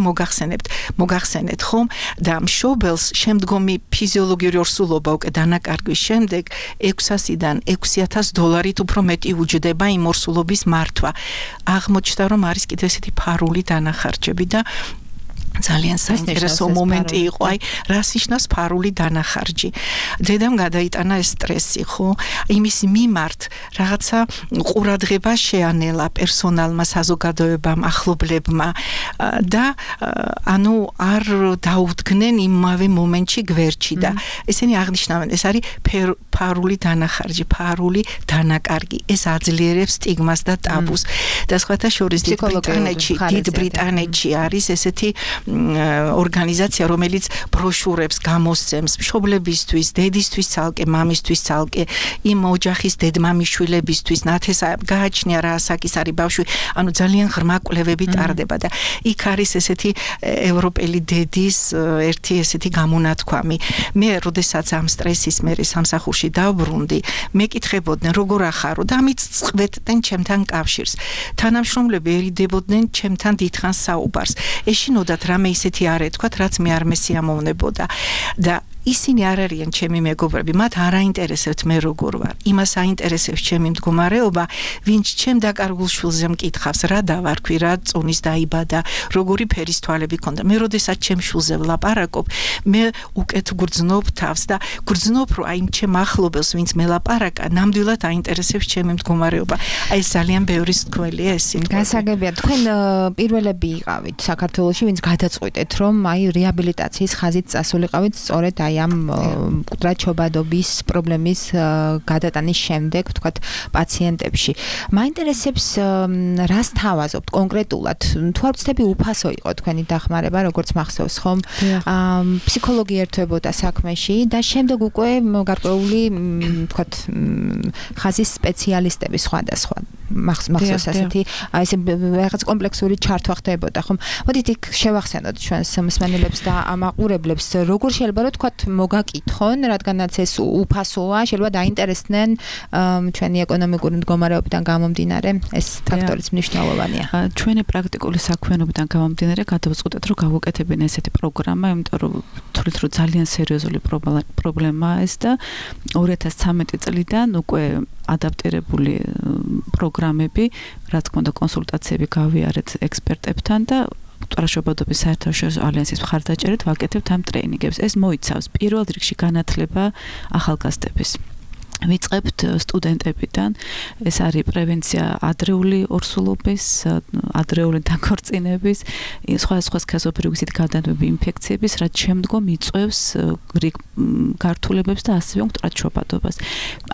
მოგახსენეთ ხომ და მშობელს შემდგომი ფიზიოლოგიური ორსულობა უკვე დანაკარგვის შემდეგ 600-დან $6,000 უფრო მეტი უჯდება იმ ორსულობის მართვა. აღმოჩნდა რომ არის კიდევ ესეთი ფარული დანახარჯები და ძალიან საინტერესო მომენტი იყო, აი, რას ნიშნავს ფარული დანახარჯი. დედამ გადაიტანა ეს სტრესი, ხო? იმის მიმართ რაღაცა ყურადღება შეანელა პერსონალმა, საზოგადოებამ, ახლობლებმა და ანუ არ დაუდგნენ იმავე მომენტში გვერდში და ესენი აღნიშნავენ, ეს არის ფარული დანახარჯი, ფარული დანაკარგი. ეს აძლიერებს სტიგმას და ტაბუს. და სხვათა შორის დიდ ბრიტანეთში არის ესეთი ორგანიზაცია, რომელიც ბროშურებს გამოსცემს მშობლებისთვის, დედისთვის ცალკე, მამისთვის ცალკე, იმ ოჯახის დედმამიშვილებისთვის, ნათესა გააჩნია რა ასაკის არის ბავშვი, ანუ ძალიან ღრმა კვლევები ტარდება და იქ არის ესეთი ევროპელი დედის ერთი ესეთი გამონათქვამი. მე როდესაც ამ სტრესის მერე სამსახურში დავბრუნდი, მეკითხებოდნენ როგორ ახარო და ამით წყვეტდნენ ჩემთან კავშირს. თანამშრომლები ერიდებოდნენ ჩემთან დიდხანს საუბარს. ეშინოდათ რამე ისეთი არ ეთქვათ, რაც მე არ მესიამოვნებოდა და ისინი არ არიან ჩემი მეგობრები, მათ არ აინტერესებთ მე როგორ ვარ. იმას აინტერესებს ჩემი მდგომარეობა, ვინც ჩემ დაკარგულ შვილზე მკითხავს, რა დავარქვი, რა წონის დაიბადა, როგორი ფერის თვალები ქონდა. მე როდესაც ჩემ შვილზე ვლაპარაკობ, მე უკეთ გრძნობ თავს და გრძნობ, რომ აი ჩემ ახლობელს, ვინც მელაპარაკა, ნამდვილად აინტერესებს ჩემი მდგომარეობა. აი ეს ძალიან ბევრი სკველია ეს სიმბოლო. გასაგებია, თქვენ პირველები იყავით საქართველოში, ვინც გადაწყვიტეთ, რომ აი რეაბილიტაციის ხაზით წასულიყავით სწორედ აი ამ მკვდრაჩობადობის პრობლემის გადატანის შემდეგ, ვთქვათ, პაციენტებში. მაინტერესებს რას თავაზობთ კონკრეტულად? თუ არ ვცდები, უფასო იყო თქვენი დახმარება, როგორც მახსოვს, ხომ? ფსიქოლოგი ერთვებოდა საქმეში და შემდეგ უკვე გარკვეული, ვთქვათ, ხაზის სპეციალისტები სხვადასხვა მახსოვს ასეთი, აი ესე რაღაც კომპლექსური ჩართვა ხდებოდა, ხომ? მოდით იქ შევახსენოთ ჩვენს მსმენელებს და ამაყურებლებს, როგორ შეიძლება რომ თქვათ მოგაკითხონ, რადგანაც ეს უფასოა, შეიძლება დაინტერესდნენ ჩვენი ეკონომიკური მდგომარეობიდან გამომდინარე, ეს ფაქტორიც მნიშვნელოვანია. ჩვენი პრაქტიკული საქმიანობიდან გამომდინარე გადავწყვეტეთ, რომ გავუკეთებინე ესეთი პროგრამა, იმიტომ რომ თვლით, რომ ძალიან სერიოზული პრობლემაა ეს და 2013 წლიდან უკვე ადაპტირებული პროგრამები, რა თქმა უნდა, კონსულტაციები გავიარეთ ექსპერტებთან და მკვდრაჩობადობის საერთაშორისო ალიანსის მხარდაჭერით ვაკეთებთ ამ ტრეინინგებს. ეს მოიცავს პირველ რიგში განათლება ახალგაზრდების. ვიწყებთ სტუდენტებიდან, ეს არის პრევენცია ადრეული ორსულობის, ადრეული დაქორწინების, სხვადასხვა სქესობრივი გზით გადადებული ინფექციების, რაც შემდგომ იწვევს რიგ გართულებებს და ასევე მკვდრაჩობადობას.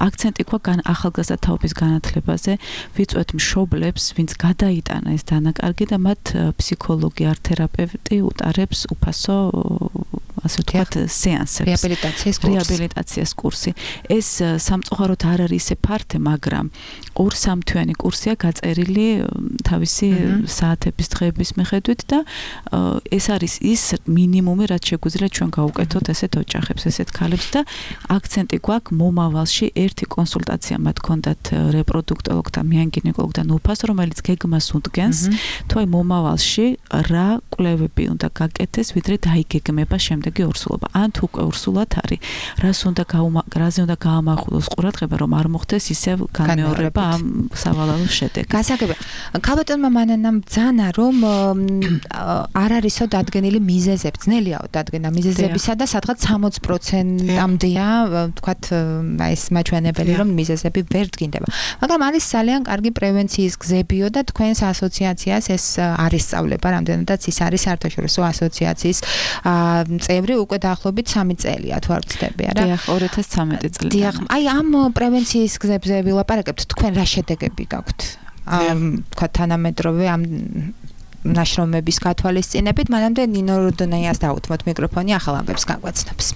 აქცენტი გვაქვს ახალგაზრდა თაობის განათლებაზე, ვიწვევთ მშობლებს, ვინც გადაიტანა ეს დანაკარგი და მათ ფსიქოლოგი, არტ-თერაპევტი უტარებს უფასო ასე ვთქვათ, სეანსებს. რეაბილიტაციის კურსი. ეს სამწუხაროდ არ არის ისე ფართე, მაგრამ 2-3 თვიანი კურსია გაწერილი თავისი საათების დღეების მიხედვით და ეს არის ის მინიმუმი, რაც შეგვიძლია ჩვენ გავუკეთოთ ესეთ ოჯახებს, ესეთ ქალებს და აქცენტი გვაქვს მომავალში ერთი კონსულტაცია მათ ქონდათ რეპროდუქტოლოგთან, მიანგინეკოლოგთან უფასო, რომელიც გეგმას უდგენს, თუ აი მომავალში რა კვლევები უნდა გაკეთდეს, ვიდრე დაიგეგმება შემდეგი ორსულობა. ან თუ უკვე ორსულად არის, რაზე უნდა გაამახვილოს ყურადღება, რომ არ მოხდეს ისევ განმეორება ამ სავალალო შედეგი. გასაგებია. ქალბატონმა მანანამ ბრძანა, რომ არ არისო დადგენილი მიზეზები, ძნელიაო დადგენა მიზეზებისა და სადღაც 60%-ამდეა, ვთქვათ, აი ეს მაჩვენებელი, რომ მიზეზები ვერ დგინდება. მაგრამ არის ძალიან კარგი პრევენციის გზებიო და თქვენს ასოციაციას ეს არის სწავლება, რამდენადაც ის არის საერთაშორისო ასოციაციის წევრი უკვე დაახლოებით 3 წელია, თუ არ ვცდები, არა? დიახ, 2013 წლიდან. დიახ, აი ამ პრევენციის გზებზე ვილაპარაკებთ, თქვენ რა შედეგები გაქვთ? თქვა თანამედროვე ამ ნაშრომების გათვალისწინებით, მანამდე ნინო როდონაიას დაუთმოთ მიკროფონი ახალ ამბებს გაგვაცნობს.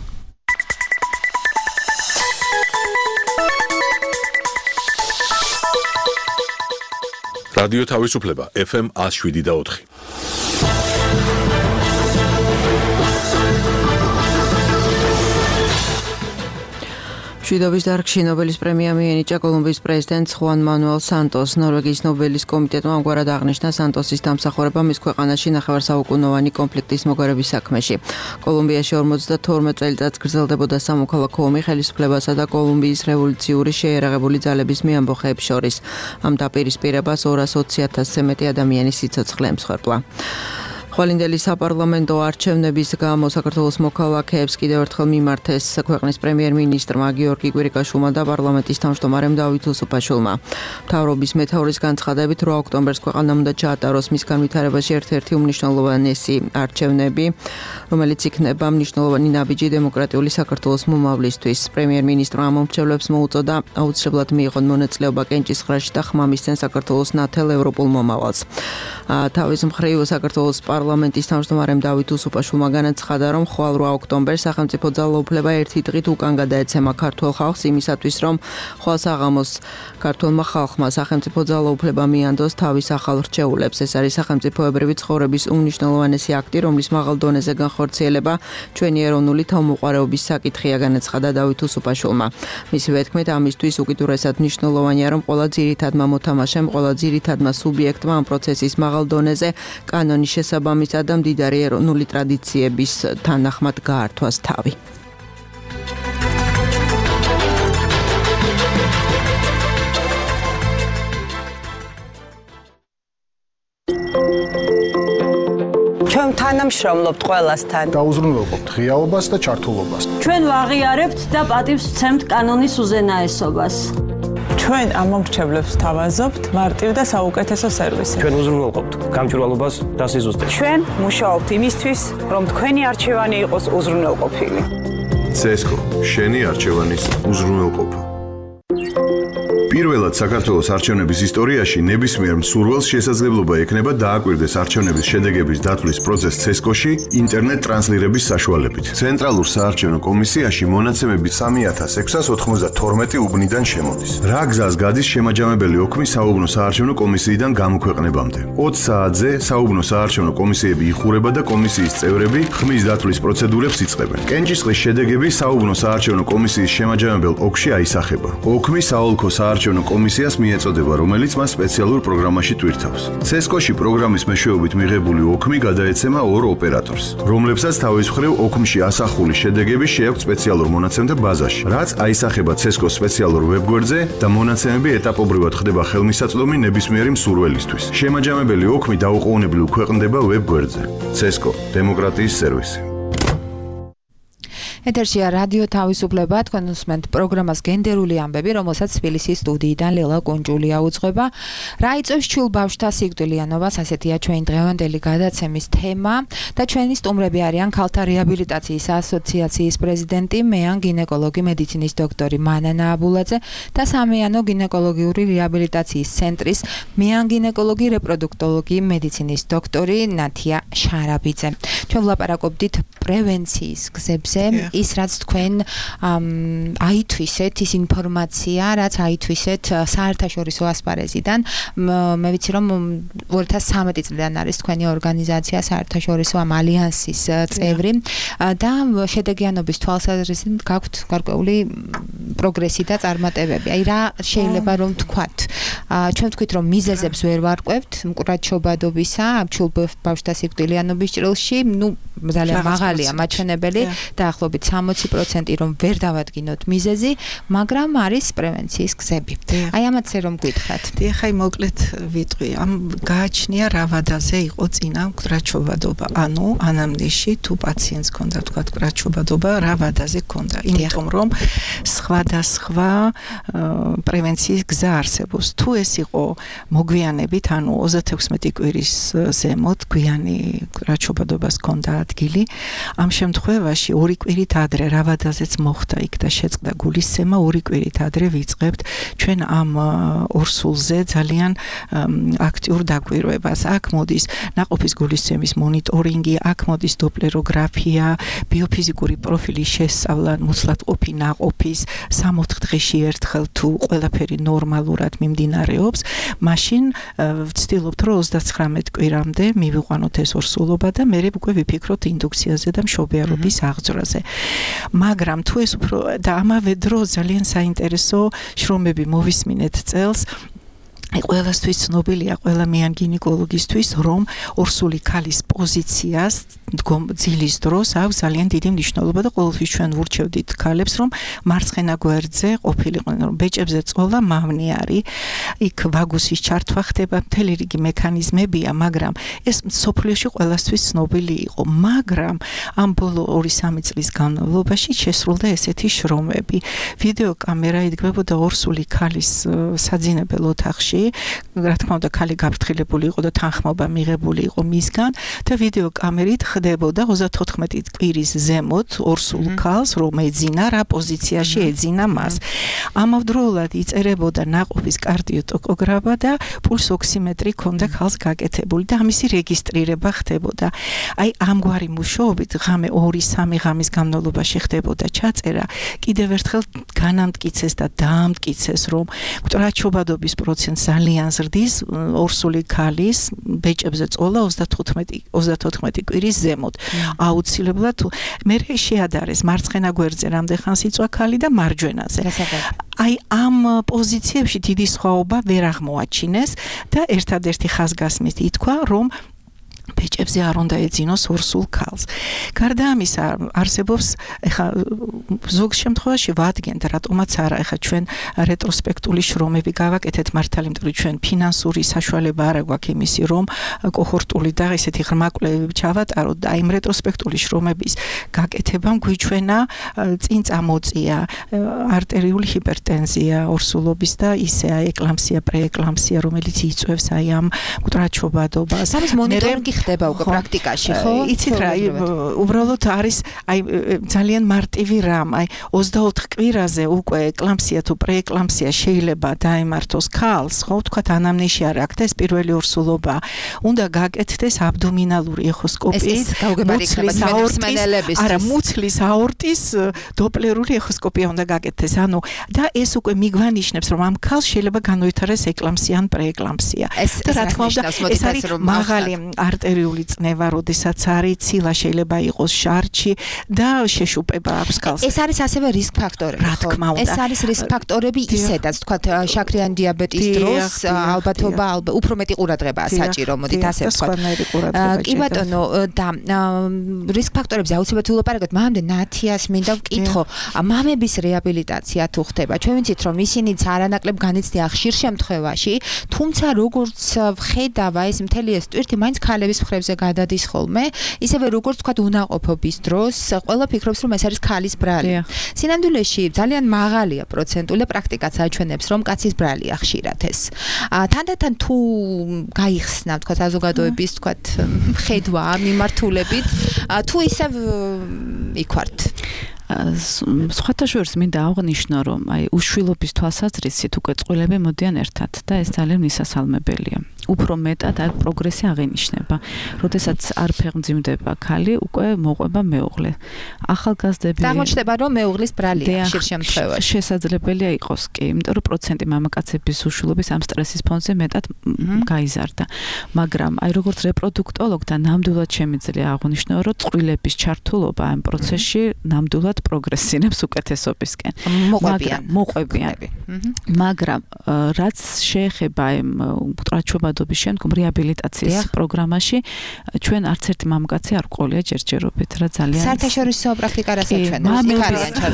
რადიო თავისუფლება FM 107.4. მშვიდობის დარგში ნობელის პრემია მიენიჭა კოლუმბიის პრეზიდენტს ხუან მანუელ სანტოს. ნორვეგიის ნობელის კომიტეტმა ამგვარად აღნიშნა სანტოსის დამსახურება მის ქვეყანაში ნახევარსაუკუნოვანი კონფლიქტის მოგვარების საქმეში. კოლუმბიაში 52 წელიწადს გრძელდებოდა სამოქალაქო ომი ხელისუფლებასა და კოლუმბიის რევოლუციური შეიარაღებული ძალების მეამბოხეებს შორის. ამ დაპირისპირებას 220,000-ზე მეტი ადამიანი სიცოცხლე ემსხვერპლა. ხვალინდელი საპარლამენტო არჩევნების გამო საქართველოს მოქალაქეებს კიდევ ერთხელ მიმართეს ქვეყნის პრემიერ-მინისტრმა გიორგი კვირიკაშვილმა და პარლამენტის თავმჯდომარემ დავით უსუფაშვილმა. მთავრობის მეთაურის განცხადებით 8 ოქტომბერს ქვეყანამ უნდა ჩაატაროს მის განვითარებაში ერთ-ერთი უმნიშვნელოვანესი არჩევნები, რომელიც იქნება მნიშვნელოვანი ნაბიჯი დემოკრატიული საქართველოს მომავლისთვის. პრემიერ-მინისტრმა მომრჩევლებს მოუწოდა აუცილებლად მიიღონ მონაწილეობა კენჭისყრაში და ხმამისცენ საქართველოს ნათელ ევროპულ მომავალს. თავის მხრივ საქართველოს პარლამენტის თავმჯდომარემ დავით უსუფაშვილმა განაცხადა, რომ ხვალ 8 ოქტომბერს სახელმწიფო ძალაუფლება ერთი დღით უკან გადაეცემა ქართულ ხალხს იმისათვის, რომ ხვალ საღამოს ქართულმა ხალხმა სახელმწიფო ძალაუფლება მიანდოს თავის ახალ რჩეულებს. ეს არის სახელმწიფოებრივი ცხოვრების უმნიშვნელოვანესი აქტი, რომლის მაღალ დონეზე განხორციელება ჩვენი ეროვნული თავმოყარეობის საკითხია, განაცხადა დავით უსუფაშვილმა. მისივე თქმით, ამისთვის უკიდურესად მნიშვნელოვანია, რომ ყველა ძირითადმა მოთამაშემ, ყველა ძირითადმა სუბიექტმა ამ პროცესის მაღალ დონეზე კანონის შესაბამისად და მდიდარი ეროვნული ტრადიციების თანახმად გაართვას თავი. ჩვენ თანამშრომლობთ ყველასთან. დაუზრუნველყოფთ ღიაობას და ჩართულობას. ჩვენ ვაღიარებთ და პატივს ვცემთ კანონის უზენაესობას. ჩვენ ამ მომრჩევლებს ვთავაზობთ მარტივ და საუკეთესო სერვისი. ჩვენ უზრუნველყოფთ გამჭვირვალობას და სიზუსტეს. ჩვენ მუშაობთ იმისთვის, რომ თქვენი არჩევანი იყოს უზრუნველყოფილი. CSGO შენი არჩევანის უზრუნველყოფა. პირველად საქართველოს არჩევნების ისტორიაში ნებისმიერ მსურველს შესაძლებლობა ექნება დააკვირდეს არჩევნების შედეგების დათვლის პროცესს CSGO-ში ინტერნეტ ტრანსლირების საშუალებით. ცენტრალურ საარჩევნო კომისიაში მონაცემები 3692 უბნიდან შემოდის. რა გზას გადის შემაჯამებელი ოქმი საუბნო საარჩევნო კომისიიდან გამოქვეყნებამდე. 20 საათზე საუბნო საარჩევნო კომისიები იხურება და კომისიის წევრები ხმის დათვლის პროცედურებს იწყებენ. კენჭისყრის შედეგები საუბნო საარჩევნო კომისიის შემაჯამებელ ოკში აისახება. ოქმი საოლქო საარჩევნო კომისიას მიეწოდება, რომელიც მას სპეციალურ პროგრამაში ტვირთავს. CSGO-ში პროგრამის მეშვეობით მიღებული ოქმი გადაეცემა ორ ოპერატორს, რომლებსაც თავის მხრივ ოქმში ასახული შედეგები შეაქვთ სპეციალურ მონაცემთა ბაზაში, რაც აისახება CSGO-ს სპეციალურ ვებგვერდზე და მონაცემები ეტაპობრივად ხდება ხელმისაწვდომი ნებისმიერი მსურველისთვის. შემაჯამებელი ოქმი დაუყოვნებლივ ქვეყნდება ვებგვერდზე. CSGO დემოკრატიის სერვისი. ეთერშია რადიო თავისუფლება, თქვენ უსმენთ პროგრამას გენდერული ამბები, რომელსაც თბილისის სტუდიიდან ლელა კუნჯულია უძღვება. რა იწვევს ჩულ ბავშვთა სიკვდილიანობას, ასეთია ჩვენი დღევანდელი გადაცემის თემა და ჩვენი სტუმრები არიან ქალთა რეაბილიტაციის ასოციაციის პრეზიდენტი, მეან გინეკოლოგი მედიცინის დოქტორი მანანა აბულაძე და სამეანო გინეკოლოგიური რეაბილიტაციის ცენტრის მეან გინეკოლოგი რეპროდუქტოლოგი მედიცინის დოქტორი ნათია შარაბიძე. ჩვენ ვლაპარაკობდით პრევენციის გზებზე. ის რაც თქვენ აითვისეთ, ის ინფორმაცია, რაც აითვისეთ საერთაშორისო ასპარეზიდან, მე ვიცი რომ 2013 წლიდან არის თქვენი ორგანიზაცია საერთაშორისო ამ ალიანსის წევრი და შედეგიანობის თვალსაზრისით გაქვთ გარკვეული პროგრესი და წარმატებები. აი რა შეიძლება რომ თქვათ? ჩვენ თქვით რომ მიზეზებს ვერ ვარკვევთ მკურაჩობადობისა, ჩულ ბავშვთა სიკვდილიანობის ჭრილში, ძალიან მაღალია მაჩვენებელი დაახლოებით 60% რომ ვერ დავადგინოთ მიზეზი, მაგრამ არის პრევენციის გზები. აი ამათზე რომ გითხრათ. ხაი მოკლედ ვიტყვი, ამ გააჩნია რა ვადაზე იყო წინა მკურაჩობადობა. ანუ ანამნეზში თუ პაციენტს ქონდა თქვა მკურაჩობადობა, რა ვადაზე ქონდა. იმიტომ რომ სხვადასხვა პრევენციის გზა არსებობს. თუ ეს იყო მოგვიანებით, ანუ 36 კვირის ზემოთ გვიანი მკურაჩობადობას ქონდა ადგილი, ამ შემთხვევაში 2 კვირით ადრე რავადაზეც მოხდა იქ და შეწყდა გულისცემა, 2 კვირით ადრე ვიწყებთ ჩვენ ამ ორსულზე ძალიან აქტიურ დაკვირვებას. აქ მოდის ნაყოფის გულისცემის მონიტორინგი, აქ მოდის დოპლეროგრაფია, ბიოფიზიკური პროფილის შესწავლა, მუცლადყოფი ნაყოფის 3-4 დღეში ერთხელ თუ ყველაფერი ნორმალურად მიმდინარეობს, მაშინ ვცდილობთ რომ 39 კვირამდე მივიყვანოთ ეს ორსულობა და მე უკვე ვიფიქროთ ინდუქციაზე და მშობიარობის აღძვრაზე. მაგრამ თუ ეს უფრო და ამავე დროს ძალიან საინტერესო შრომები მოვისმინეთ წელს აი ყველასთვის ცნობილია ყველა მიან გინეკოლოგისთვის რომ ორსული ქალის პოზიციას ძილის დროს აქვს ძალიან დიდი მნიშვნელობა და ყოველთვის ჩვენ ვურჩევდით ქალებს რომ მარცხენა გვერდზე ყოფილიყვნენ რომ ბეჭებზე წოლა მავნე არის იქ ვაგუსის ჩართვა ხდება მთელი რიგი მექანიზმებია მაგრამ ეს სოფლიოში ყველასთვის ცნობილი იყო მაგრამ ამ ბოლო 2-3 წლის განმავლობაში შესრულდა ესეთი შრომები ვიდეო კამერა იდგმებოდა ორსული ქალის საძინებელ ოთახში რა თქმა უნდა ქალი გაფრთხილებული იყო და თანხმობა მიღებული იყო მისგან და ვიდეო კამერით ხდებოდა 34 კვირის ზემოთ ორსულ ქალს რომ ეძინა რა პოზიციაში ეძინა მას ამავდროულად იწერებოდა ნაყოფის კარდიოტოკოგრაფა და პულს ოქსიმეტრი ქონდა ქალს გაკეთებული და ამისი რეგისტრირება ხდებოდა აი ამგვარი მუშაობით ღამე 2-3 ღამის განმავლობაში ხდებოდა ჩაწერა კიდევ ერთხელ განამტკიცეს და დაამტკიცეს რომ მკვდრაჩობადობის პროცენტს ძალიან ზრდის ორსული ქალის ბეჭებზე წოლა 34 კვირის ზემოთ აუცილებლად მე შეადარეს მარცხენა გვერდზე რამდენ იწვა ქალი და მარჯვენაზე აი ამ პოზიციებში დიდი სხვაობა ვერ აღმოაჩინეს და ერთადერთი ხაზგასმით ითქვა რომ ბეჭებზე არ უნდა ეძინოს ორსულ ქალს. გარდა ამისა არსებობს ეხა ზოგ შემთხვევაში ვადგენთ რატომაც არა ეხა ჩვენ რეტროსპექტული შრომები გავაკეთეთ მართალი იმიტომ რომ ჩვენ ფინანსური საშუალება არ აქვს იმისი რომ კოჰორტული და ესეთი ღრმა კვლევები ჩავატაროთ და იმ რეტროსპექტული შრომების გაკეთებამ გვიჩვენა წინ წამოწია არტერიული ჰიპერტენზია ორსულობის და ისე ეკლამსია პრეეკლამსია რომელიც იწვევს აი ამ მკვდრაჩობადობას. სამის მონიტორინგი ხდება უკვე პრაქტიკაში, ხო? იცით რა, უბრალოდ არის აი ძალიან მარტივი რამ, აი 24 კვირაზე უკვე ეკლამსია თუ პრეეკლამსია შეიძლება დაემართოს ქალს, ხო, თქვათ ანამნეზი არ აქვს და ეს პირველი ორსულობა. უნდა გაკეთდეს აბდომინალური ეხოსკოპიით, მუცლის აორტის დოპლერული ეხოსკოპია უნდა გაკეთდეს. ანუ და ეს უკვე მიგვანიშნებს, რომ ამ ქალს შეიძლება განვითარდეს ეკლამსია ან პრეეკლამსია. და რა თქმა უნდა, ეს არის მაღალი არტერიული წნევა, როდესაც არის ცილა შეიძლება იყოს შარჩი და შეშუპება აქვს ქალს. ეს არის ასევე რისკ ფაქტორები, რა თქმა უნდა. ეს არის რისკ ფაქტორები ისედაც, თქვათ, შაქრიანი დიაბეტის დროს ალბათობა უფრო მეტი ყურადღებაა საჭირო, მოდით ასე ვთქვათ. კი ბატონო, და რისკ ფაქტორებზე აუცილებლად ვილაპარაკოთ, მანამდე ნათიას მინდა ვკითხო, მამების რეაბილიტაცია თუ ხდება. ჩვენ ვიცით, რომ ისინიც არანაკლებ განიცდიან ხშირ შემთხვევაში, თუმცა როგორც ვხედავ ეს მთელი ეს ტვირთი მაინც ქალების მხრებზე გადადის ხოლმე, ისევე როგორც თქვათ უნაყოფობის დროს, ყველა ფიქრობს, რომ ეს არის ქალის ბრალი. სინამდვილეში ძალიან მაღალია პროცენტული პრაქტიკაც აჩვენებს, რომ კაცის ბრალია ხშირად ეს. თანდათან თუ გაიხსნა, თქვათ, საზოგადოების, თქვათ, ხედვა მიმართულებით, თუ ისევ იქوارთ. სხვათა შორის მინდა აღვნიშნო, რომ აი უშვილობის თვალსაზრისით უკვე წყვილები მოდიან ერთად და ეს ძალიან მისასალმებელია. უფრო მეტად აი პროგრესი აღინიშნება. როდესაც არ ფეხმძიმდება ქალი, უკვე მოყვება მეუღლე. ახალგაზრდები აღმოჩნდება, რომ მეუღლის ბრალია ხშირ შემთხვევაში. შესაძლებელია იყოს კი, იმიტომ რომ პროცენტი მამაკაცების უშვილობის ამ სტრესის ფონზე მეტად გაიზარდა. მაგრამ აი როგორც რეპროდუქტოლოგ და ნამდვილად შემიძლია აღვნიშნო, რომ წყვილების ჩართულობა ამ პროცესში ნამდვილად პროგრესინებს უკეთესობისკენ. მოყვებიან. მაგრამ რაც შეეხება იმ მკვდრაჩობადობის შემდგომ რეაბილიტაციის პროგრამაში, ჩვენ არც ერთი მამაკაცი არ ყოლია ჯერჯერობით, რა ძალიან საერთაშორისო პრაქტიკა რასაც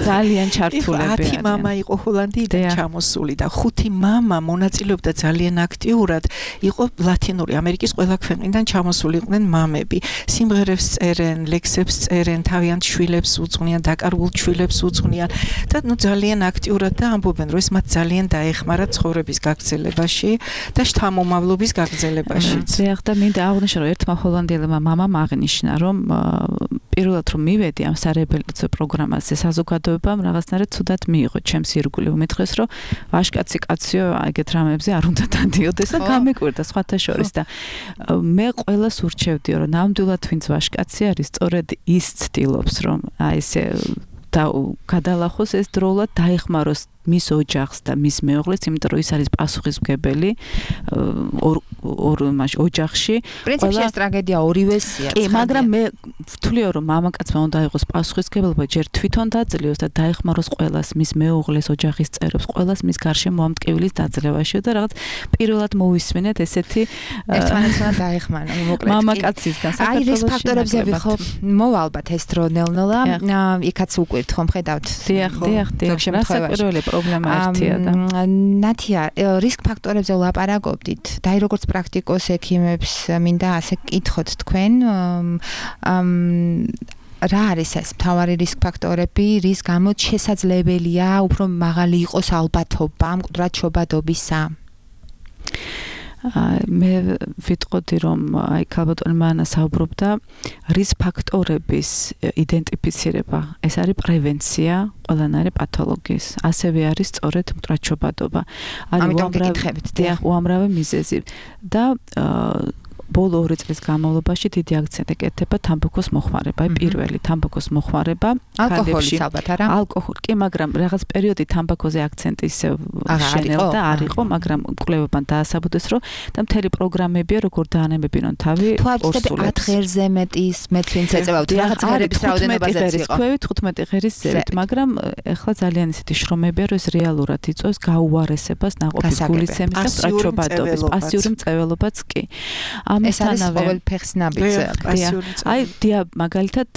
ძალიან ჩართულები. 10 მამა იყო ჰოლანდიიდან ჩამოსული და 5 მამა მონაწილეობდა ძალიან აქტიურად, იყო ლათინური ამერიკის ყველა ქვეყნიდან ჩამოსულიყვნენ მამები. სიმღერებს წერენ, ლექსებს წერენ, თავიანთ შვილებს უძღვნიან, დაკარგულ შვილებს უძღვნიან და ნუ ძალიან აქტიურად და ამბობენ, რომ ეს მათ ძალიან დაეხმარა ცხოვრების გაგრძელებაში და შთამომავლობის გაგრძელებაში. ზეახ და მინდა აღვნიშნო, რომ ერთმა ჰოლანდიელმა მამამ აღნიშნა, რომ პირველად რომ მივედი ამ სარეაბილიტაციო პროგრამაზე საზოგადოებამ რაღაცნაირად ცუდად მიიღო ჩემს ირგვლივ. უმეთქეს, რომ ვაშკაცი კაციო ეგეთ რამებზე არ უნდა დადიოდეს და გამეკვირდა სხვათა შორის და მე ყველას ურჩევდიო, რომ ნამდვილად ვინც ვაშკაცი არის, სწორედ ის ცდილობს, რომ აი ესე და გადალახოს ეს დროულად დაეხმაროს მის ოჯახს და მის მეუღლეს, იმიტომ რომ ის არის პასუხისმგებელი მაშ ოჯახში. პრინციპში ეს ტრაგედია ორივესია. კი, მაგრამ მე ვთვლია რომ მამაკაცმა უნდა იყოს პასუხისმგებლობა ჯერ თვითონ დაძლიოს და დაეხმაროს ყველას, მის მეუღლეს, ოჯახის წევრებს, ყველას მის გარშემო ამტკივილის დაძლევაში და რაღაც პირველად მოვისმენეთ ესეთი ერთმანეთთან დაეხმარა, მოკლედ. მამაკაცისგან აი, რისკ ფაქტორებზე ვიხო, მოვა ალბათ ეს დრო ნელ-ნელა, იქაც უკვირთ ხომ ხედავთ. დიახ, რასაკვირველი პრობლემა ერთია და ნათია, რისკ ფაქტორებზე ვლაპარაკობდით. და აი როგორც პრაქტიკოს ექიმებს მინდა ასე კითხოთ თქვენ, რა არის ეს მთავარი რისკ ფაქტორები, რის გამოც შესაძლებელია უფრო მაღალი იყოს ალბათობა მკვდრად შობადობისა? მე ვიტყოდი რომ აი ქალბატონი მანა საუბრობდა რისკ ფაქტორების იდენტიფიცირება, ეს არის პრევენცია ყველანაირი პათოლოგიის, ასევე არის სწორედ მკვდრად შობადობა. არის უამრავი მიზეზი და ბოლო 2 წლის განმავლობაში დიდი აქცენტი კეთდება თამბაქოს მოხმარება, პირველი თამბაქოს მოხმარება ალკოჰოლის ალბათ არა? ალკოჰოლი, კი, მაგრამ რაღაც პერიოდი თამბაქოზე აქცენტი ისე შენელდა, არ იყო, მაგრამ კვლევებმა დაასაბუთეს, რომ და მთელი პროგრამებია, როგორ დაანებებინონ თავი ორსულებს. 10 ღერზე მეტის მეცვინც ეწევავთ, რაღაც ღერების რაოდენობაზეც იყო. 15 ღერის ზევით, მაგრამ ეხლა ძალიან ისეთი შრომებია, რომ ეს რეალურად იწვევს გაუარესებას ნაყოფის გულისცემის და მკვდრადშობადობის, პასიური მწვეველობაც კი. ეს არის ყოველ ფეხს ნაბიჯი. აი, მაგალითად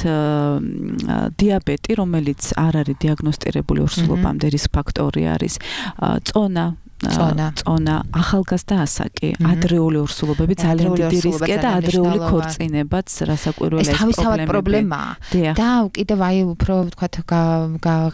დიაბეტი, რომელიც არ არის დიაგნოსტირებული ორსულობამდე რისკ ფაქტორი არის, წონა, ახალგაზრდა ასაკი, ადრეული ორსულობები ძალიან დიდი რისკია და ადრეული ქორწინებაც რასაკვირველია ეს პრობლემაა. და კიდევ აი უფრო ვთქვათ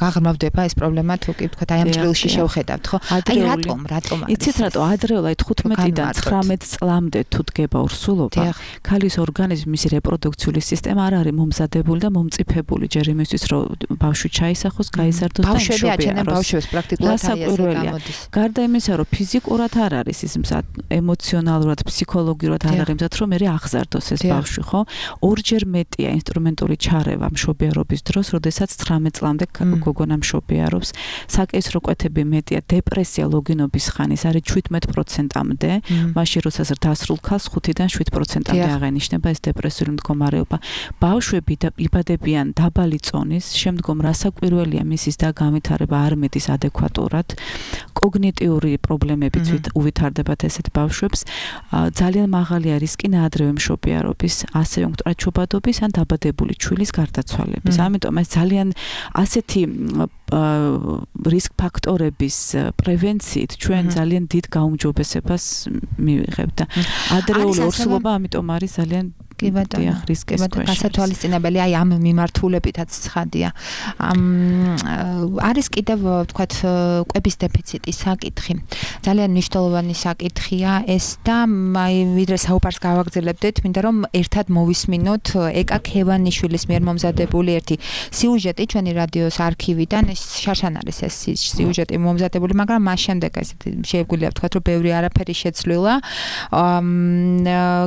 გაღრმავდება ეს პრობლემა თუ კი ვთქვათ აი ამ ჭრილში შევხედავთ, ხო? აი რატომ? იცით რატო ადრეულად 15-დან 19 წლამდე თუ დგება ორსულობა, ქალის ორგანიზმი, მისი რეპროდუქციული სისტემა არ არის მომზადებული და მომწიფებული ჯერ იმისთვის, რომ ბავშვი ჩაისახოს, გაიზარდოს და ბავშვები აჩენენ ბავშვებს პრაქტიკულად აი ესე გამოდის. გარდა იმისა, რომ ფიზიკურად არ არის ის მზად, ემოციონალურად, ფსიქოლოგიურად არ არის მზად, რომ მე აღზარდოს ეს ბავშვი, ხო? ორჯერ მეტია ინსტრუმენტული ჩარევა მშობიარობის დროს, როდესაც 19 წლამდე გოგონა მშობიარობს. საკეისრო კვეთები მეტია, დეპრესია ლოგინობის ხანის არის 17%-მდე, მაშინ როდესაც დასრულ ქალს 5-დან 7%-მდე აღენიშნება ეს დეპრესიული მდგომარეობა. ბავშვები იბადებიან დაბალი წონის, შემდგომ რასაკვირველია მისის და განვითარება არ მიდის ადეკვატურად. კოგნიტიური პრობლემებიც უვითარდებათ ესეთ ბავშვებს. ძალიან მაღალია რისკი ნაადრევი მშობიარობის, ასევე მკვდრად შობადობის ან დაბადებული ჩვილის გარდაცვალების. ამიტომ ეს ძალიან ასეთი რისკ ფაქტორების პრევენციით ჩვენ ძალიან დიდ გაუმჯობესებას მივიღებთ და ადრეული ორსულობა ამიტომ არის ძალიან კი ბატონო, რისკის ქვეშ. გასათვალისწინებელი აი ამ მიმართულებითაც ცხადია. არის კიდევ ვთქვათ კვების დეფიციტის საკითხი. ძალიან მნიშვნელოვანი საკითხია ეს და აი ვიდრე საუბარს გავაგრძელებდეთ, მინდა რომ ერთად მოვისმინოთ ეკა ქევანიშვილის მიერ მომზადებული ერთი სიუჟეტი ჩვენი რადიოს არქივიდან. ეს შარშან არის ეს სიუჟეტი მომზადებული, მაგრამ მას შემდეგ ესეთი შეგვიძლია ვთქვათ, რომ ბევრი არაფერი შეცვლილა.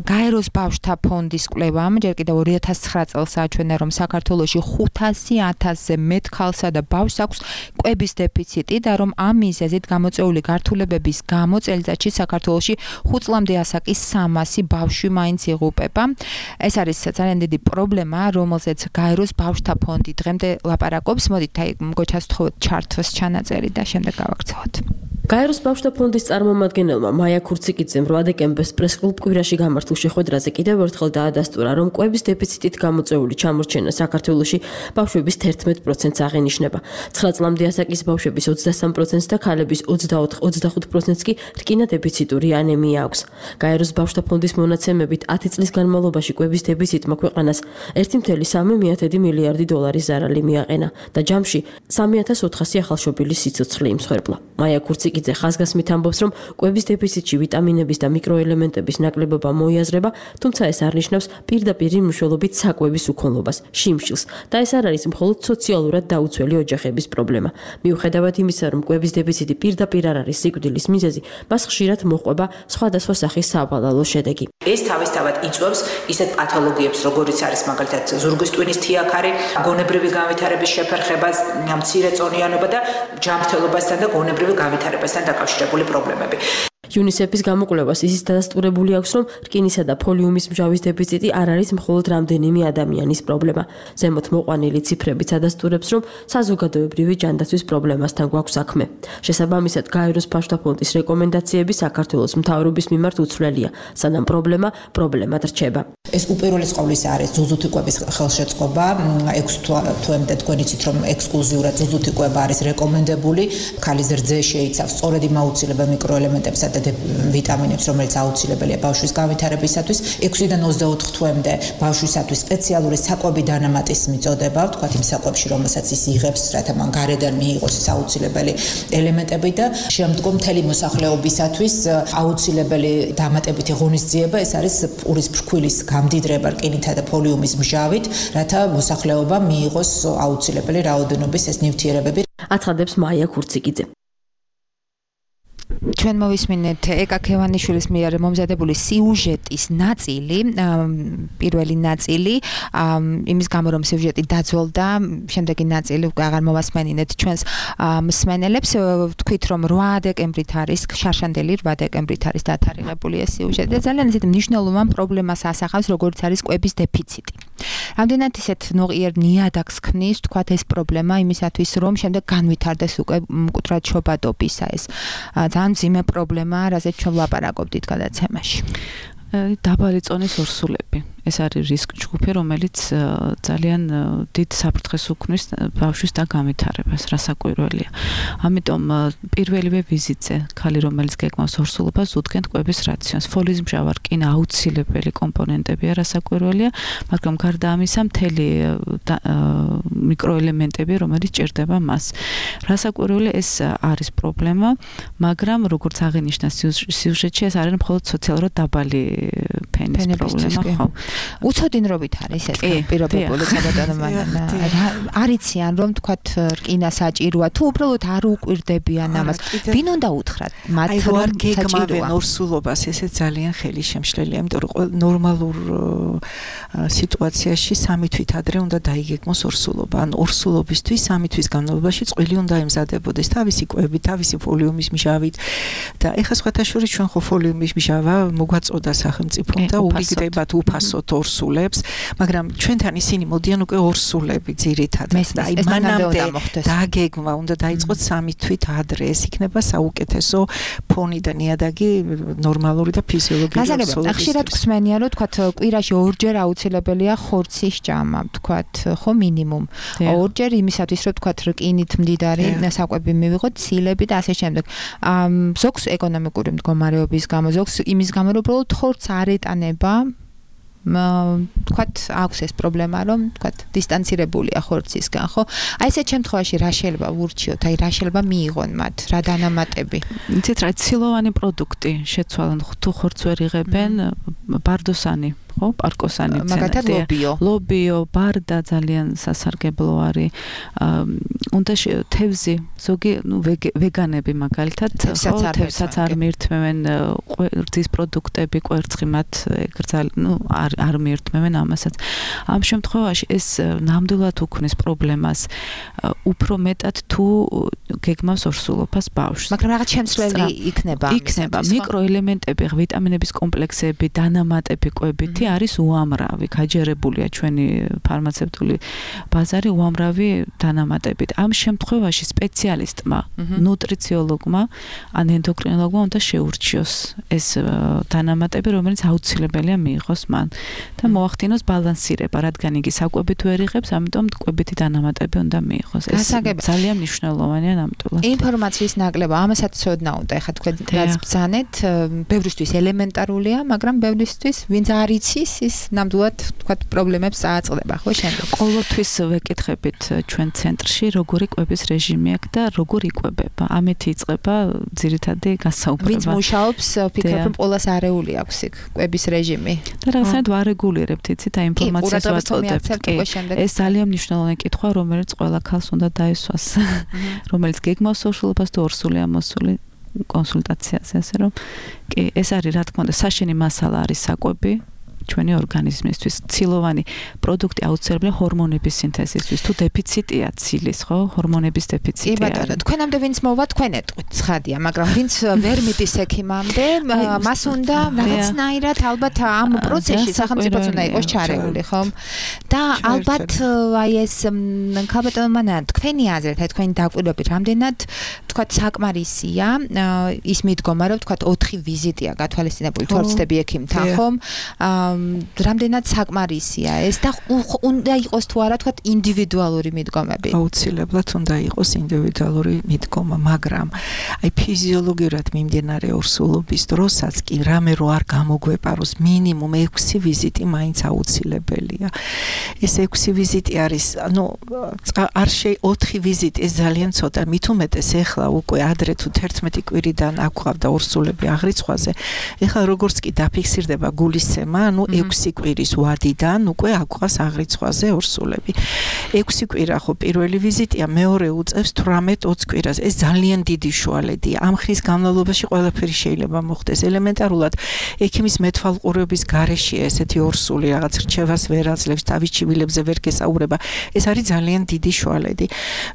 გაეროს ბავშვთა ფონდის კვლევამ ჯერ კიდევ 2009 წელს აჩვენა, რომ საქართველოში 500,000-ზე მეტ ქალსა და ბავშვს აქვს კვების დეფიციტი და რომ ამ მიზეზით გამოწვეული გართულებების გამო წელიწადში საქართველოში 5 წლამდე ასაკის 300 ბავშვი მაინც იღუპება. ეს არის ძალიან დიდი პრობლემა, რომელზეც გაეროს ბავშვთა ფონდი დღემდე ლაპარაკობს. მოდით აი გოჩას ვთხოვოთ ჩართოს ჩანაწერი და შემდეგ გავაგრძელოთ. გაეროს ბავშვთა ფონდის წარმომადგენელმა მაია ქურციკიძემ 8 დეკემბერს პრესკლუბ კვირაში გამართულ შეხვედრაზე კიდევ ერთხელ დაადასტურა, რომ კვების დეფიციტით გამოწვეული ჩამორჩენა საქართველოში ბავშვების 11%-ს აღენიშნება. 9 წლამდე ასაკის ბავშვების 23%-ს და ქალების 24-25%-ს კი რკინა დეფიციტური ანემია აქვს. გაეროს ბავშვთა ფონდის მონაცემებით 10 წლის განმავლობაში კვების დეფიციტმა ქვეყანას 1.3 მილიარდი დოლარის ზარალი მიაყენა და ჯამში 3400 ახალშობილის სიცოცხლე იმსხვერპლა. მაია ქურციკიძე ხაზგასმით ამბობს, რომ კვების დეფიციტში ვიტამინების და მიკროელემენტების ნაკლებობა მოიაზრება, თუმცა ეს არ ნიშნავს პირდაპირ მნიშვნელობით საკვების უქონლობას, შიმშილს და ეს არ არის მხოლოდ სოციალურად დაუცველი ოჯახების პრობლემა. მიუხედავად იმისა, რომ კვების დეფიციტი პირდაპირ არ არის სიკვდილის მიზეზი, მას ხშირად მოჰყვება სხვადასხვა სახის სავალალო შედეგი. ეს თავისთავად იწვევს ისეთ პათოლოგიებს, როგორიც არის მაგალითად ზურგის ტვინის თიაქარი, გონებრივი განვითარების შეფერხებას, მცირე წონიანობა და ჯანმრთელობასთან და გონებრივი განვითარებასთან დაკავშირებული პრობლემები. UNICEF-ის გამოკვლევას ისიც დადასტურებული აქვს, რომ რკინისა და ფოლიუმის მჟავის დეფიციტი არ არის მხოლოდ რამდენიმე ადამიანის პრობლემა. ზემოთ მოყვანილი ციფრებიც ადასტურებს, რომ საზოგადოებრივი ჯანდაცვის პრობლემასთან გვაქვს საქმე. შესაბამისად, გაეროს ფაშთა ფონდის რეკომენდაციები საქართველოს მთავრობის მიმართ უცვლელია, სანამ პრობლემად რჩება. ეს უპირველეს ყოვლისა არის ზუზუთიკვების ხელშეწყობა. 6 თვემდე თქვენ იცით, რომ ექსკლუზიურად ზუზუთიკვება არის რეკომენდებული. ქალის რძე შეიცავს სწორედ იმ აუცილებელ მიკროელემენტებსა და ვიტამინებს, რომელიც აუცილებელია ბავშვის განვითარებისათვის. 6-დან 24 თვემდე ბავშვისათვის სპეციალური საკვები დანამატის მიწოდება, ვთქვათ იმ საკვებში, რომელსაც ის იღებს, რათა მან გარედან მიიღოს ის აუცილებელი ელემენტები და შემდგომ მთელი მოსახლეობისათვის აუცილებელი დამატებითი ღონისძიება, ეს არის პურის ფრქვილის გამდიდრება რკინითა და ფოლიუმის მჟავით, რათა მოსახლეობა მიიღოს აუცილებელი რაოდენობის ეს ნივთიერებები. აცხადებს მაია ქურციკიძე. ჩვენ მოვისმინეთ ეკა ქევანიშვილის მიერ მომზადებული სიუჟეტის ნაწილი, პირველი ნაწილი, იმის გამო რომ სიუჟეტი დაძველდა, შემდეგი ნაწილი უკვე აღარ მოვასმენინეთ ჩვენს მსმენელებს. ვთქვით რომ 8 დეკემბრით არის, შარშანდელი 8 დეკემბრით არის დათარიღებული ეს სიუჟეტი და ძალიან ისეთ მნიშვნელოვან პრობლემას ასახავს, როგორც არის კვების დეფიციტი. რამდენად ისეთ ნოყიერ ნიადაგს ქმნის, ვთქვათ ეს პრობლემა იმისათვის რომ შემდეგ განვითარდეს უკვე მკვდრად შობადობისა ეს ძალიან მძიმე პრობლემაა, რაზეც ჩვენ ვლაპარაკობდით გადაცემაში. დაბალი წონის ორსულები. ეს არის რისკ ჯგუფი, რომელიც ძალიან დიდ საფრთხეს უქმნის ბავშვის და განვითარებას, რასაკვირველია. ამიტომ პირველივე ვიზიტზე ქალი, რომელიც გეგმავს ორსულობას, უდგენთ კვების რაციონს. ფოლის მჟავა რკინა აუცილებელი კომპონენტებია, რასაკვირველია, მაგრამ გარდა ამისა მთელი მიკროელემენტები, რომელიც ჭირდება მას. რასაკვირველია, ეს არის პრობლემა, მაგრამ როგორც აღინიშნა სიუჟეტში, ეს არის მხოლოდ სოციალურად დაბალი ფენის პრობლემა, ხო? უცოდინრობით არის ეს პირობებული საბატონო არიციან რომ თქვათ რკინა საჭიროა თუ უბრალოდ არ უკვირდებიან ამას ვინ უნდა უთხრათ მათ რომ გეგმავენ ორსულობას ესე ძალიან ხელისშემშლელია იმიტომ რომ ნორმალურ სიტუაციაში 3 თვით ადრე უნდა დაიგეგმოს ორსულობა ან ორსულობისთვის 3 თვის განმავლობაში წყვილი უნდა ემზადებოდეს თავისი კვებით თავისი ფოლიუმის მჟავით და ეხლა სხვათაშორის ჩვენ ხო ფოლიუმის მჟავა მოგვაწოდა სახელმწიფომ და უგიგდებათ უფასოდ ორსულებს, მაგრამ ჩვენთან ისინი მოდიან უკვე ორსულები ძირითადად. აი მანამდე დაგეგმა უნდა დაიწყოთ 3 თვით ადრე. ეს იქნება საუკეთესო ფონი და ნიადაგი ნორმალური და ფიზიოლოგიური ორსულების. ხშირად გვსმენია, რომ თქვათ კვირაში 2ჯერ აუცილებელია ხორცის ჭამა, თქვათ, ხო მინიმუმ. 2ჯერ იმისათვის, რომ თქვათ რკინით მდიდარი საკვები მივიღოთ, ცილები და ასე შემდეგ. ზოგს ეკონომიკური მდგომარეობის გამო, ზოგს იმის გამო, რომ უბრალოდ ხორცს არ ეტანება თქვათ აქვს ეს პრობლემა რომ თქვათ დისტანცირებულია ხორცისგან ხო აი ესეთ შემთხვევაში რა შეიძლება ვურჩიოთ აი რა შეიძლება მიიღონ მათ რა დანამატები იცით რა ცილოვანი პროდუქტი შეცვალონ თუ ხორცს ვერ იღებენ ბარდოსანი ხო პარკოსანი მაგათად ლობიო ბარდა ძალიან სასარგებლო არის უნდა თევზი ზოგი ვეგანები მაგალითად თევსაც არ მიირთმევენ რძის პროდუქტები კვერცხი მათ არ მიირთმევენ ამასაც ამ შემთხვევაში ეს ნამდვილად უქმნის პრობლემას უფრო მეტად თუ გეგმავს ორსულობას ბავშვს მაგრამ რაღაც შემცვლელი იქნება მიკროელემენტები ვიტამინების კომპლექსები დანამატები კვებითი არის უამრავი, გაჯერებულია ჩვენი ფარმაცევტული ბაზარი უამრავი დანამატებით. ამ შემთხვევაში სპეციალისტმა, ნუტრიციოლოგმა, ან ენდოკრინოლოგმა უნდა შეურჩიოს ეს დანამატები, რომელიც აუცილებელია მიიღოს მან და მოახდინოს ბალანსირება, რადგან იგი საკვებით ვერ იღებს, ამიტომ კვებითი დანამატები უნდა მიიღოს. ეს ძალიან მნიშვნელოვანია ნამდვილად. ინფორმაციის ნაკლება, ამასაც ცოდნა უნდა, ეხლა თქვენ რაც ბრძანეთ, ბევრისთვის ელემენტარულია, მაგრამ ბევრისთვის ვინც არ იცის ის ნამდვილად თქვა პრობლემებს აწყდება ხო შემდეგ ყოველთვის ვეკითხებით ჩვენ ცენტრში როგორი კვების რეჟიმი აქვს და როგორ იკვებება ამით იწყება ძირითადი გასაუბრება ვინც მუშაობს ვფიქრობ რომ ყოველას არეული აქვს იქ კვების რეჟიმი და რაღაცნაირად ვარეგულირებთ იცით აი ინფორმაციას ვაწოდებთ ეს ძალიან მნიშვნელოვანი კითხვა რომელიც ყველა ქალს უნდა დაესვას რომელიც გეგმავს ორსულობას თუ ორსულია მოსული კონსულტაციაზე ასე რომ კი ეს არის რა თქმა უნდა საშენი მასალა არის საკვები ჩვენი ორგანიზმისთვის. ცილოვანი პროდუქტი აუცილებელია ჰორმონების სინთეზისთვის. თუ დეფიციტია ცილის, ხო? ჰორმონების დეფიციტია. კი ბატონო, თქვენამდე ვინც მოვა, თქვენ ეტყვით, ცხადია, მაგრამ ვინც ვერ მიდის ექიმამდე, მას უნდა რაღაცნაირად ალბათ ამ პროცესში სახელმწიფოც უნდა იყოს ჩარეული, ხო? და ალბათ აი ეს ქალბატონო მანა, თქვენი აზრით, აი თქვენი დაკვირვებით, რამდენად თქვათ საკმარისია ის მიდგომა, რომ თქვათ 4 ვიზიტია გათვალისწინებული თორცდები ექიმთან, ხო? რამდენად საკმარისია ეს და უნდა იყოს თუ არა თქვათ ინდივიდუალური მიდგომები? აუცილებლად უნდა იყოს ინდივიდუალური მიდგომა, მაგრამ აი ფიზიოლოგიურად მიმდინარე ორსულობის დროსაც კი რამე რო არ გამოგვეპაროს მინიმუმ 6 ვიზიტი მაინც აუცილებელია. ეს 6 ვიზიტი არის, არ 4 ვიზიტი ეს ძალიან ცოტა, მით უმეტეს ეხლა უკვე ადრე თუ 11 კვირიდან აქვავდა ორსულები აღრიცხვაზე, ეხლა როგორც კი დაფიქსირდება გულისცემა, 6 კვირის ვადიდან უკვე აქვავს აღრიცხვაზე ორსულები. 6 კვირა ხო პირველი ვიზიტია, მეორე უწევს 18-20 კვირას. ეს ძალიან დიდი შუალედია. ამ ხნის განმავლობაში ყველაფერი შეიძლება მოხდეს. ელემენტარულად ექიმის მეთვალყურეობის გარეშეა ესეთი ორსული, რაღაც რჩევას ვერ აძლევს, თავის ჩივილებზე ვერ გესაუბრება. ეს არის ძალიან დიდი შუალედი.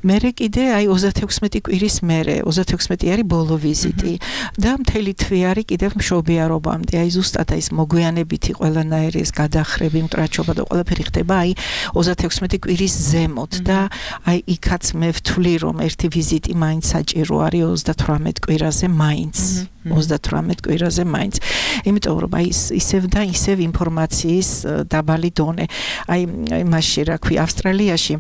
მერე კიდე აი 36 კვირის მერე, 36 არის ბოლო ვიზიტი და მთელი თვე არის კიდევ მშობიარობამდე. აი ზუსტად ის მოგვიანებითი ყველანაირი ეს გადახრები, მტრაჩობა და ყველაფერი ხდება აი 36 კვირის ზემოთ და აი იქაც მე ვთვლი რომ ერთი ვიზიტი მაინც საჭირო არის 38 კვირაზე მაინც. 38 კვირაზე მაინც. იმიტომ რომ აი ისევ და ისევ ინფორმაციის დაბალი დონე. აი მასში რა ქვია ავსტრალიაში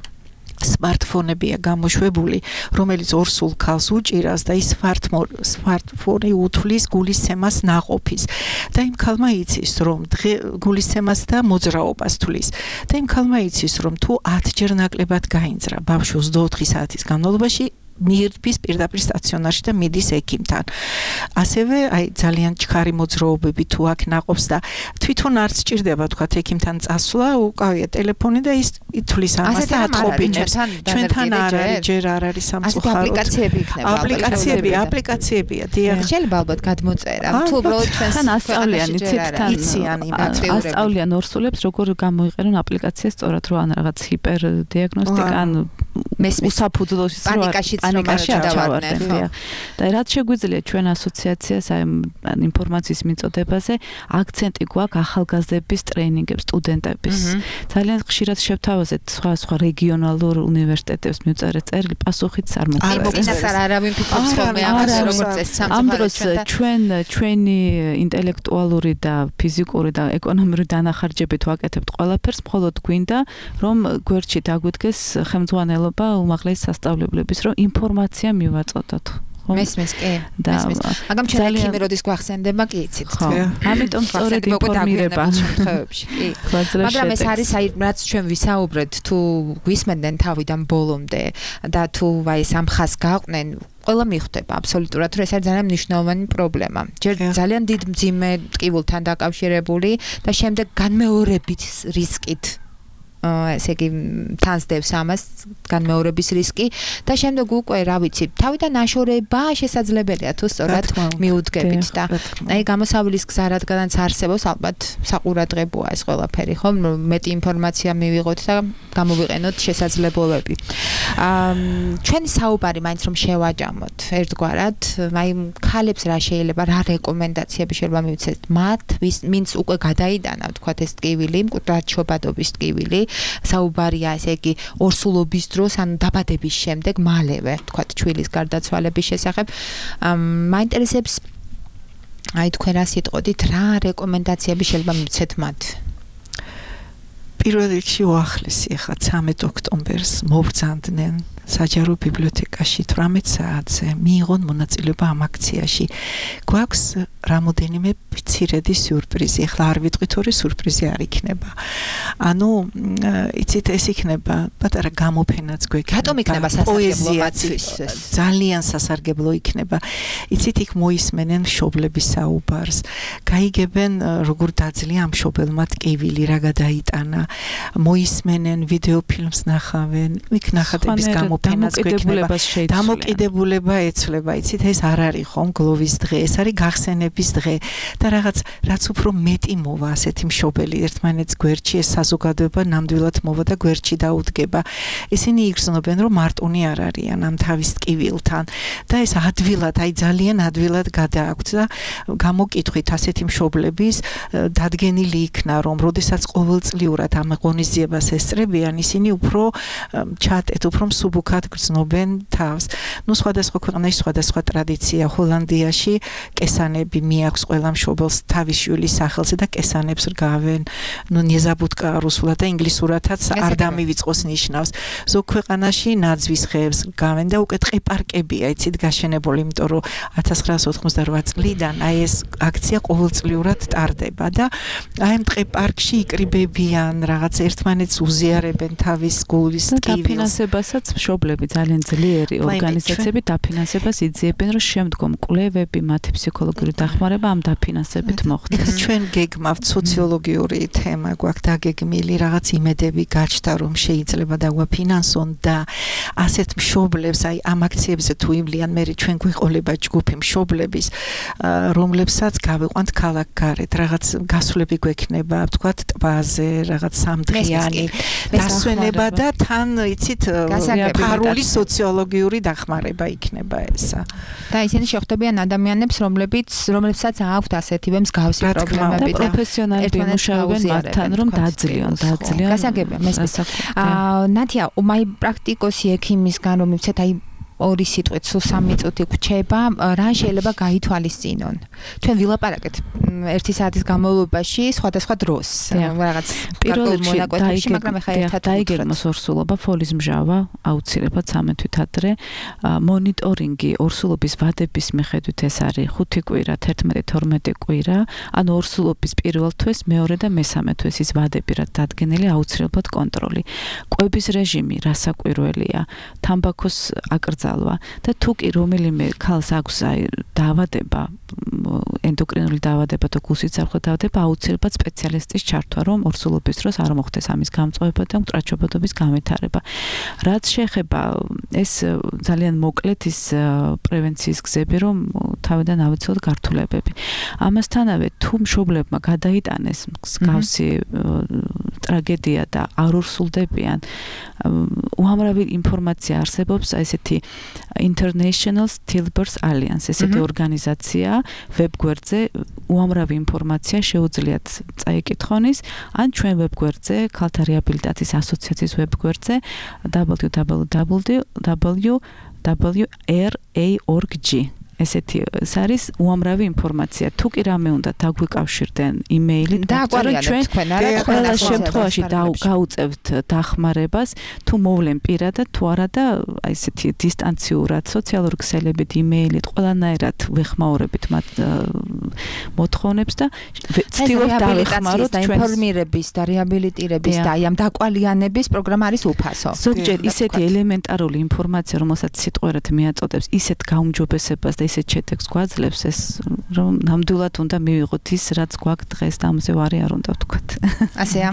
smartphone-ებია გამოშვებული, რომელიც ორსულ ქალს უჭირავს და ის smartphone-ი უთვლის გულისცემას ნაყოფის. და იმ ქალმა იცის, რომ გულისცემას და მოძრაობას თვლის. და იმ ქალმა იცის, რომ თუ 10 ჯერ ნაკლებად გაინძრა ბავშვი 24 საათის განმავლობაში მიირთმის პირდაპირ სტაციონარში და მიდის ექიმთან. ასევე აი ძალიან ჩქარი მოძრაობები თუ აქ ნაყოფს და თვითონ არ სჭირდება თქვა ექიმთან წასვლა, უკავია ტელეფონი და ის ითვლის ამას და ათყობინებს. ჩვენთან არ არის, ჯერ არ არის სამწუხაროდ. აპლიკაციები იქნება. აპლიკაციებია, დიახ. შეიძლება ალბათ გადმოწერა. თუ უბრალოდ ჩვენს ასწავლიან, იციან ასწავლიან ორსულებს როგორ გამოიყენონ აპლიკაციას სწორად, რომ ან რაღაც ჰიპერდიაგნოსტიკა, ან უსაფუძვლოში პანიკაში ჩავარდნენ. და რაც შეგვიძლია ჩვენ ასოციაციას აი ინფორმაციის მიწოდებაზე აქცენტი გვაქვს ახალგაზრდების ტრეინინგებს, სტუდენტების. ძალიან ხშირად შევთავაზეთ სხვა რეგიონალურ უნივერსიტეტებს მივწერეთ წერილი, პასუხიც არ მოხდა. აი მოგინასარ არავინ ფიქრობს ხოლმე ამას როგორც ეს ამ დროს ჩვენი ინტელექტუალური და ფიზიკური და ეკონომიური დანახარჯებით ვაკეთებთ ყველაფერს, მხოლოდ გვინდა რომ გვერდში დაგვიდგეს ხელმძღვანელობა უმაღლესი სასწავლებლების, რომ ინფორმაცია მივაწოდოთ. მესმის კი. მაგრამ ჩვენ ექიმი როდის გვახსენდება კი იცით. ამიტომ სწორედ ინფორმირება შემთხვევებში. კი. მაგრამ ეს არის აი რაც ჩვენ ვისაუბრეთ, თუ გვისმენდნენ თავიდან ბოლომდე და თუ აი სამხას გაყვნენ ყველა მიხვდება აბსოლუტურად, რომ ეს არის ძალიან მნიშვნელოვანი პრობლემა. ჯერ ძალიან დიდ მძიმე ტკივილთან დაკავშირებული და შემდეგ განმეორებით რისკით. ესე იგი თანსდევს ამას განმეორების რისკი და შემდეგ უკვე რა ვიცი თავიდან აშორება შესაძლებელია თუ სწორად მიუდგებით და აი გამოსავლის გზა რადგანაც არსებობს ალბათ საყურადღებოა ეს ყველაფერი ხო მეტი ინფორმაცია მივიღოთ და გამოვიყენოთ შესაძლებლობები ჩვენი საუბარი მაინც რომ შევაჯამოთ ერთგვარად აი ქალებს რა შეიძლება რა რეკომენდაციები შეიძლება მივცეთ მათ ვინც უკვე გადაიტანა ვთქვათ ეს ტკივილი მკვდრჩობადობის ტკივილი საუბარია ესე იგი ორსულობის დროს ან დაბადების შემდეგ მალევე თქვათ ჩვილის გარდაცვალების შესახებ მაინტერესებს აი თქვენ რა სიტყოდით რა რეკომენდაციები შეიძლება მივცეთ მათ პირველ რიგში უახლესი ახლა 13 ოქტომბერს მოვბრძანდნენ საჯარო ბიბლიოთეკაში 18 საათზე მიიღონ მონაწილეობა ამ აქციაში. გვაქვს რამოდენიმე მცირედი სიურპრიზი. ახლა არ ვიტყვით ორი სიურპრიზი არ იქნება. ანუ იცით ეს იქნება პატარა გამოფენაც გვექნება. რატომ იქნება სასარგებლო მათთვის? ძალიან სასარგებლო იქნება. იცით იქ მოისმენენ მშობლების საუბარს. გაიგებენ როგორ დაძლია ამ მშობელმა ტკივილი, რა გადაიტანა. მოისმენენ, ვიდეო ფილმს ნახავენ, იქ ნახატების გამოფენაც გვექნება. დამოკიდებულება ეცვლება, იცით, ეს არ არის ხომ გლოვის დღე, ეს არის გახსენების დღე და რაც უფრო მეტი მოვა ასეთი მშობელი ერთმანეთს გვერდში, ეს საზოგადოება ნამდვილად მოვა და გვერდში დაუდგება. ისინი იგრძნობენ, რომ მარტონი არ არიან ამ თავის ტკივილთან და ეს ადვილად, ძალიან ადვილად გადააქვთ და გამოკითხვით ასეთი მშობლების დადგენილი იქნა, რომ როდესაც ყოველწლიურად ამ ღონისძიებას ესწრებიან, ისინი უფრო ჩატეთ, უფრო მსუბუქად გრძნობენ თავს. სხვადასხვა ქვეყანაში სხვადასხვა ტრადიცია. ჰოლანდიაში კესანები მიაქვს ყველა მშობელს თავის შვილის სახელზე და კესანებს რგავენ. ნეზაბუტკა რუსულად და ინგლისურადაც არ დამივიწყოს ნიშნავს. ზოგ ქვეყანაში ნაძვის ხეებს რგავენ და უკვე ტყეპარკებია, იცით, გაშენებული, იმიტომ რომ 1988 წლიდან აი ეს აქცია ყოველწლიურად ტარდება და აი ამ ტყეპარკში იკრიბებიან, რაღაც ერთმანეთს უზიარებენ თავის გულის ტკივილს. დაფინანსებასაც მშობლები ძალიან ძლიერი ორგანიზაციები დაფინანსებას იძიებენ, რომ შემდგომ კვლევები, მათი ფსიქოლოგიური დახმარება ამ დაფინანსებით მოხდეს. ჩვენ გეგმავთ სოციოლოგიური თემა, გვაქვს დაგეგმილი, რაღაც იმედები გაჩნდა, რომ შეიძლება დაგვაფინანსონ და ასეთ მშობლებს, აი ამ აქციებზე თუ ივლიან, მე ჩვენ გვიყოლება ჯგუფი მშობლების, რომლებსაც გავიყვანთ ქალაქ გარეთ, რაღაც გასვლები გვექნება, ვთქვათ, ტბაზე, რაღაც სამდღიანი დასვენება და თან, იცით, ფარული სოციოლოგიური დახმარება იქნება ესა. და ისინი შეხვდებიან ადამიანებს, რომლებსაც აქვთ ასეთივე მსგავსი პრობლემები და პროფესიონალები მუშაობენ მათთან, რომ დაძლიონ. გასაგებია, მესმის. ნათია, მაი პრაქტიკოსი ექიმისგან რომ მიცეთ, აი ორი სიტყვით სულ 3 წუთი გვჩება, რა შეიძლება გაითვალისწინონ. ჩვენ ვილაპარაკეთ 1 საათის განმავლობაში სხვადასხვა დროს, რაღაც პირველ მონაკვეთებში, მაგრამ ახლა ერთად დაიგეგმოს ორსულობა, ფოლის მჟავა, აუცილებლად 13 თვით ადრე, მონიტორინგი ორსულობის ვადების მიხედვით ეს არის 5 კვირა, 11-12 კვირა, ანუ ორსულობის პირველ თვეს, მეორე და მესამე თვეს ის ვადები რაც დადგენილი, აუცილებლად კონტროლი. კვების რეჟიმი რასაკვირველია, თამბაქოს აკრძალვა და თუ კი რომელიმე ქალს აქვს აი დაავადება, ენდოკრინული დაავადება და გულსიცარხე დაავადება, აუცილებლად სპეციალისტის ჩართვა, რომ ორსულობის დროს არ მოხდეს ამის გამწვევება და მკრაჩობადობის განვითარება. რაც შეეხება ეს ძალიან მოკლედ ის პრევენციის გზები, რომ თავიდან ავიცილოთ გართულებები. ამასთანავე თუ მშობლებმა გადაიტანეს მსგავსი ტრაგედია და არ ორსულდებიან, უამრავი ინფორმაცია არსებობს ესეთი International Stillbirth Alliance, ესეთი ორგანიზაცია ვებგვერდზე უამრავი ინფორმაცია შეუძლიათ წაიკითხონის, ან ჩვენ ვებგვერდზე, ქალთა რეაბილიტაციის ასოციაციის ვებგვერდზე www.ra.org. ესეთი არის უამრავი ინფორმაცია. თუ კი რამე უნდა დაგვიკავშირდნენ იმეილით, ჩვენ ყველა შემთხვევაში გავუწევთ დახმარებას, თუ მოვლენ პირადად, თუ არა და აი ესეთი დისტანციურად, სოციალური ქსელებით, იმეილით, ყველანაირად ვეხმაურებით მათ მოთხოვნებს და ვცდილობთ დავეხმაროთ ჩვენ ინფორმირების და რეაბილიტირების და აი ამ დაკვალიანების პროგრამა არის უფასო. ზოგჯერ ისეთი ელემენტარული ინფორმაცია, რომელსაც სიტყვერად მიაწოდებს ისეთ გაუმჯობესებას და ისეთ შეტექს გვაძლევს, ეს რომ ნამდვილად უნდა მივიღოთ ის, რაც გვაქვს დღეს და ამაზე ვარი არ უნდა ვთქვათ. ასეა.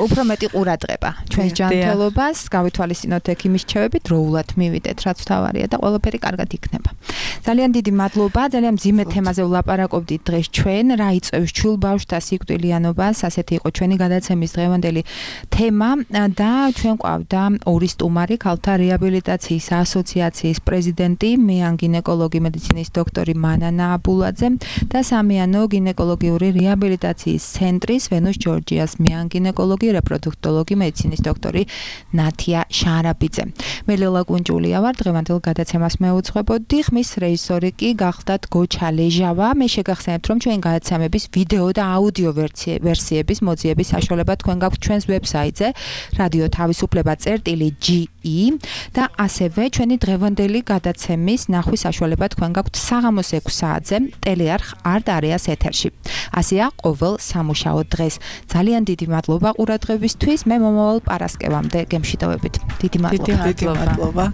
უფრო მეტი ყურადღება ჩვენს ჯანმრთელობას, გავითვალისწინოთ ექიმის რჩევები, დროულად მივიდეთ, რაც თავარია და ყველაფერი კარგად იქნება. ძალიან დიდი მადლობა, ძალიან მძიმე თემაზე ვლაპარაკობდით დღეს ჩვენ, რა იწვევს ჩვილბავშვთა სიკვდილიანობას, ასეთი იყო ჩვენი გადაცემის დღევანდელი თემა და ჩვენ ყავდა ორი სტუმარი, ქალთა რეაბილიტაციის ასოციაციის პრეზიდენტი, მეან გინეკოლოგი მედიცინის დოქტორი მანანა აბულაძე და სამიანო გინეკოლოგიური რეაბილიტაციის ცენტრის ვენუს ჯორჯიას მეან გინეკოლოგი რეპროდუქტოლოგი მედიცინის დოქტორი ნათია შარაბიძე. მე ლელა კუნჯულია ვარ, დღევანდელ გადაცემას მეუძღვებოდი, ხმის რეჟისორი კი გახლდათ გოჩა ლეჟავა. მე შეგახსენებთ, რომ ჩვენ გადაცემების ვიდეო და აუდიო ვერსიების მოძიების საშუალება თქვენ გაქვთ ჩვენს ვებსაიტზე რადიო თავისუფლება.ge და ასევე ჩვენი დღევანდელი გადაცემის ნახვის საშუალება თქვენ გაქვთ საღამოს 6 საათზე ტელეარხ არტ-არეას ეთერში. ასეა ყოველ სამუშაო დღეს. ძალიან დიდი მადლობა ყურადღებისთვის. მე მომავალ პარასკევამდე გემშვიდობებით. დიდი მადლობა. დიდი მადლობა.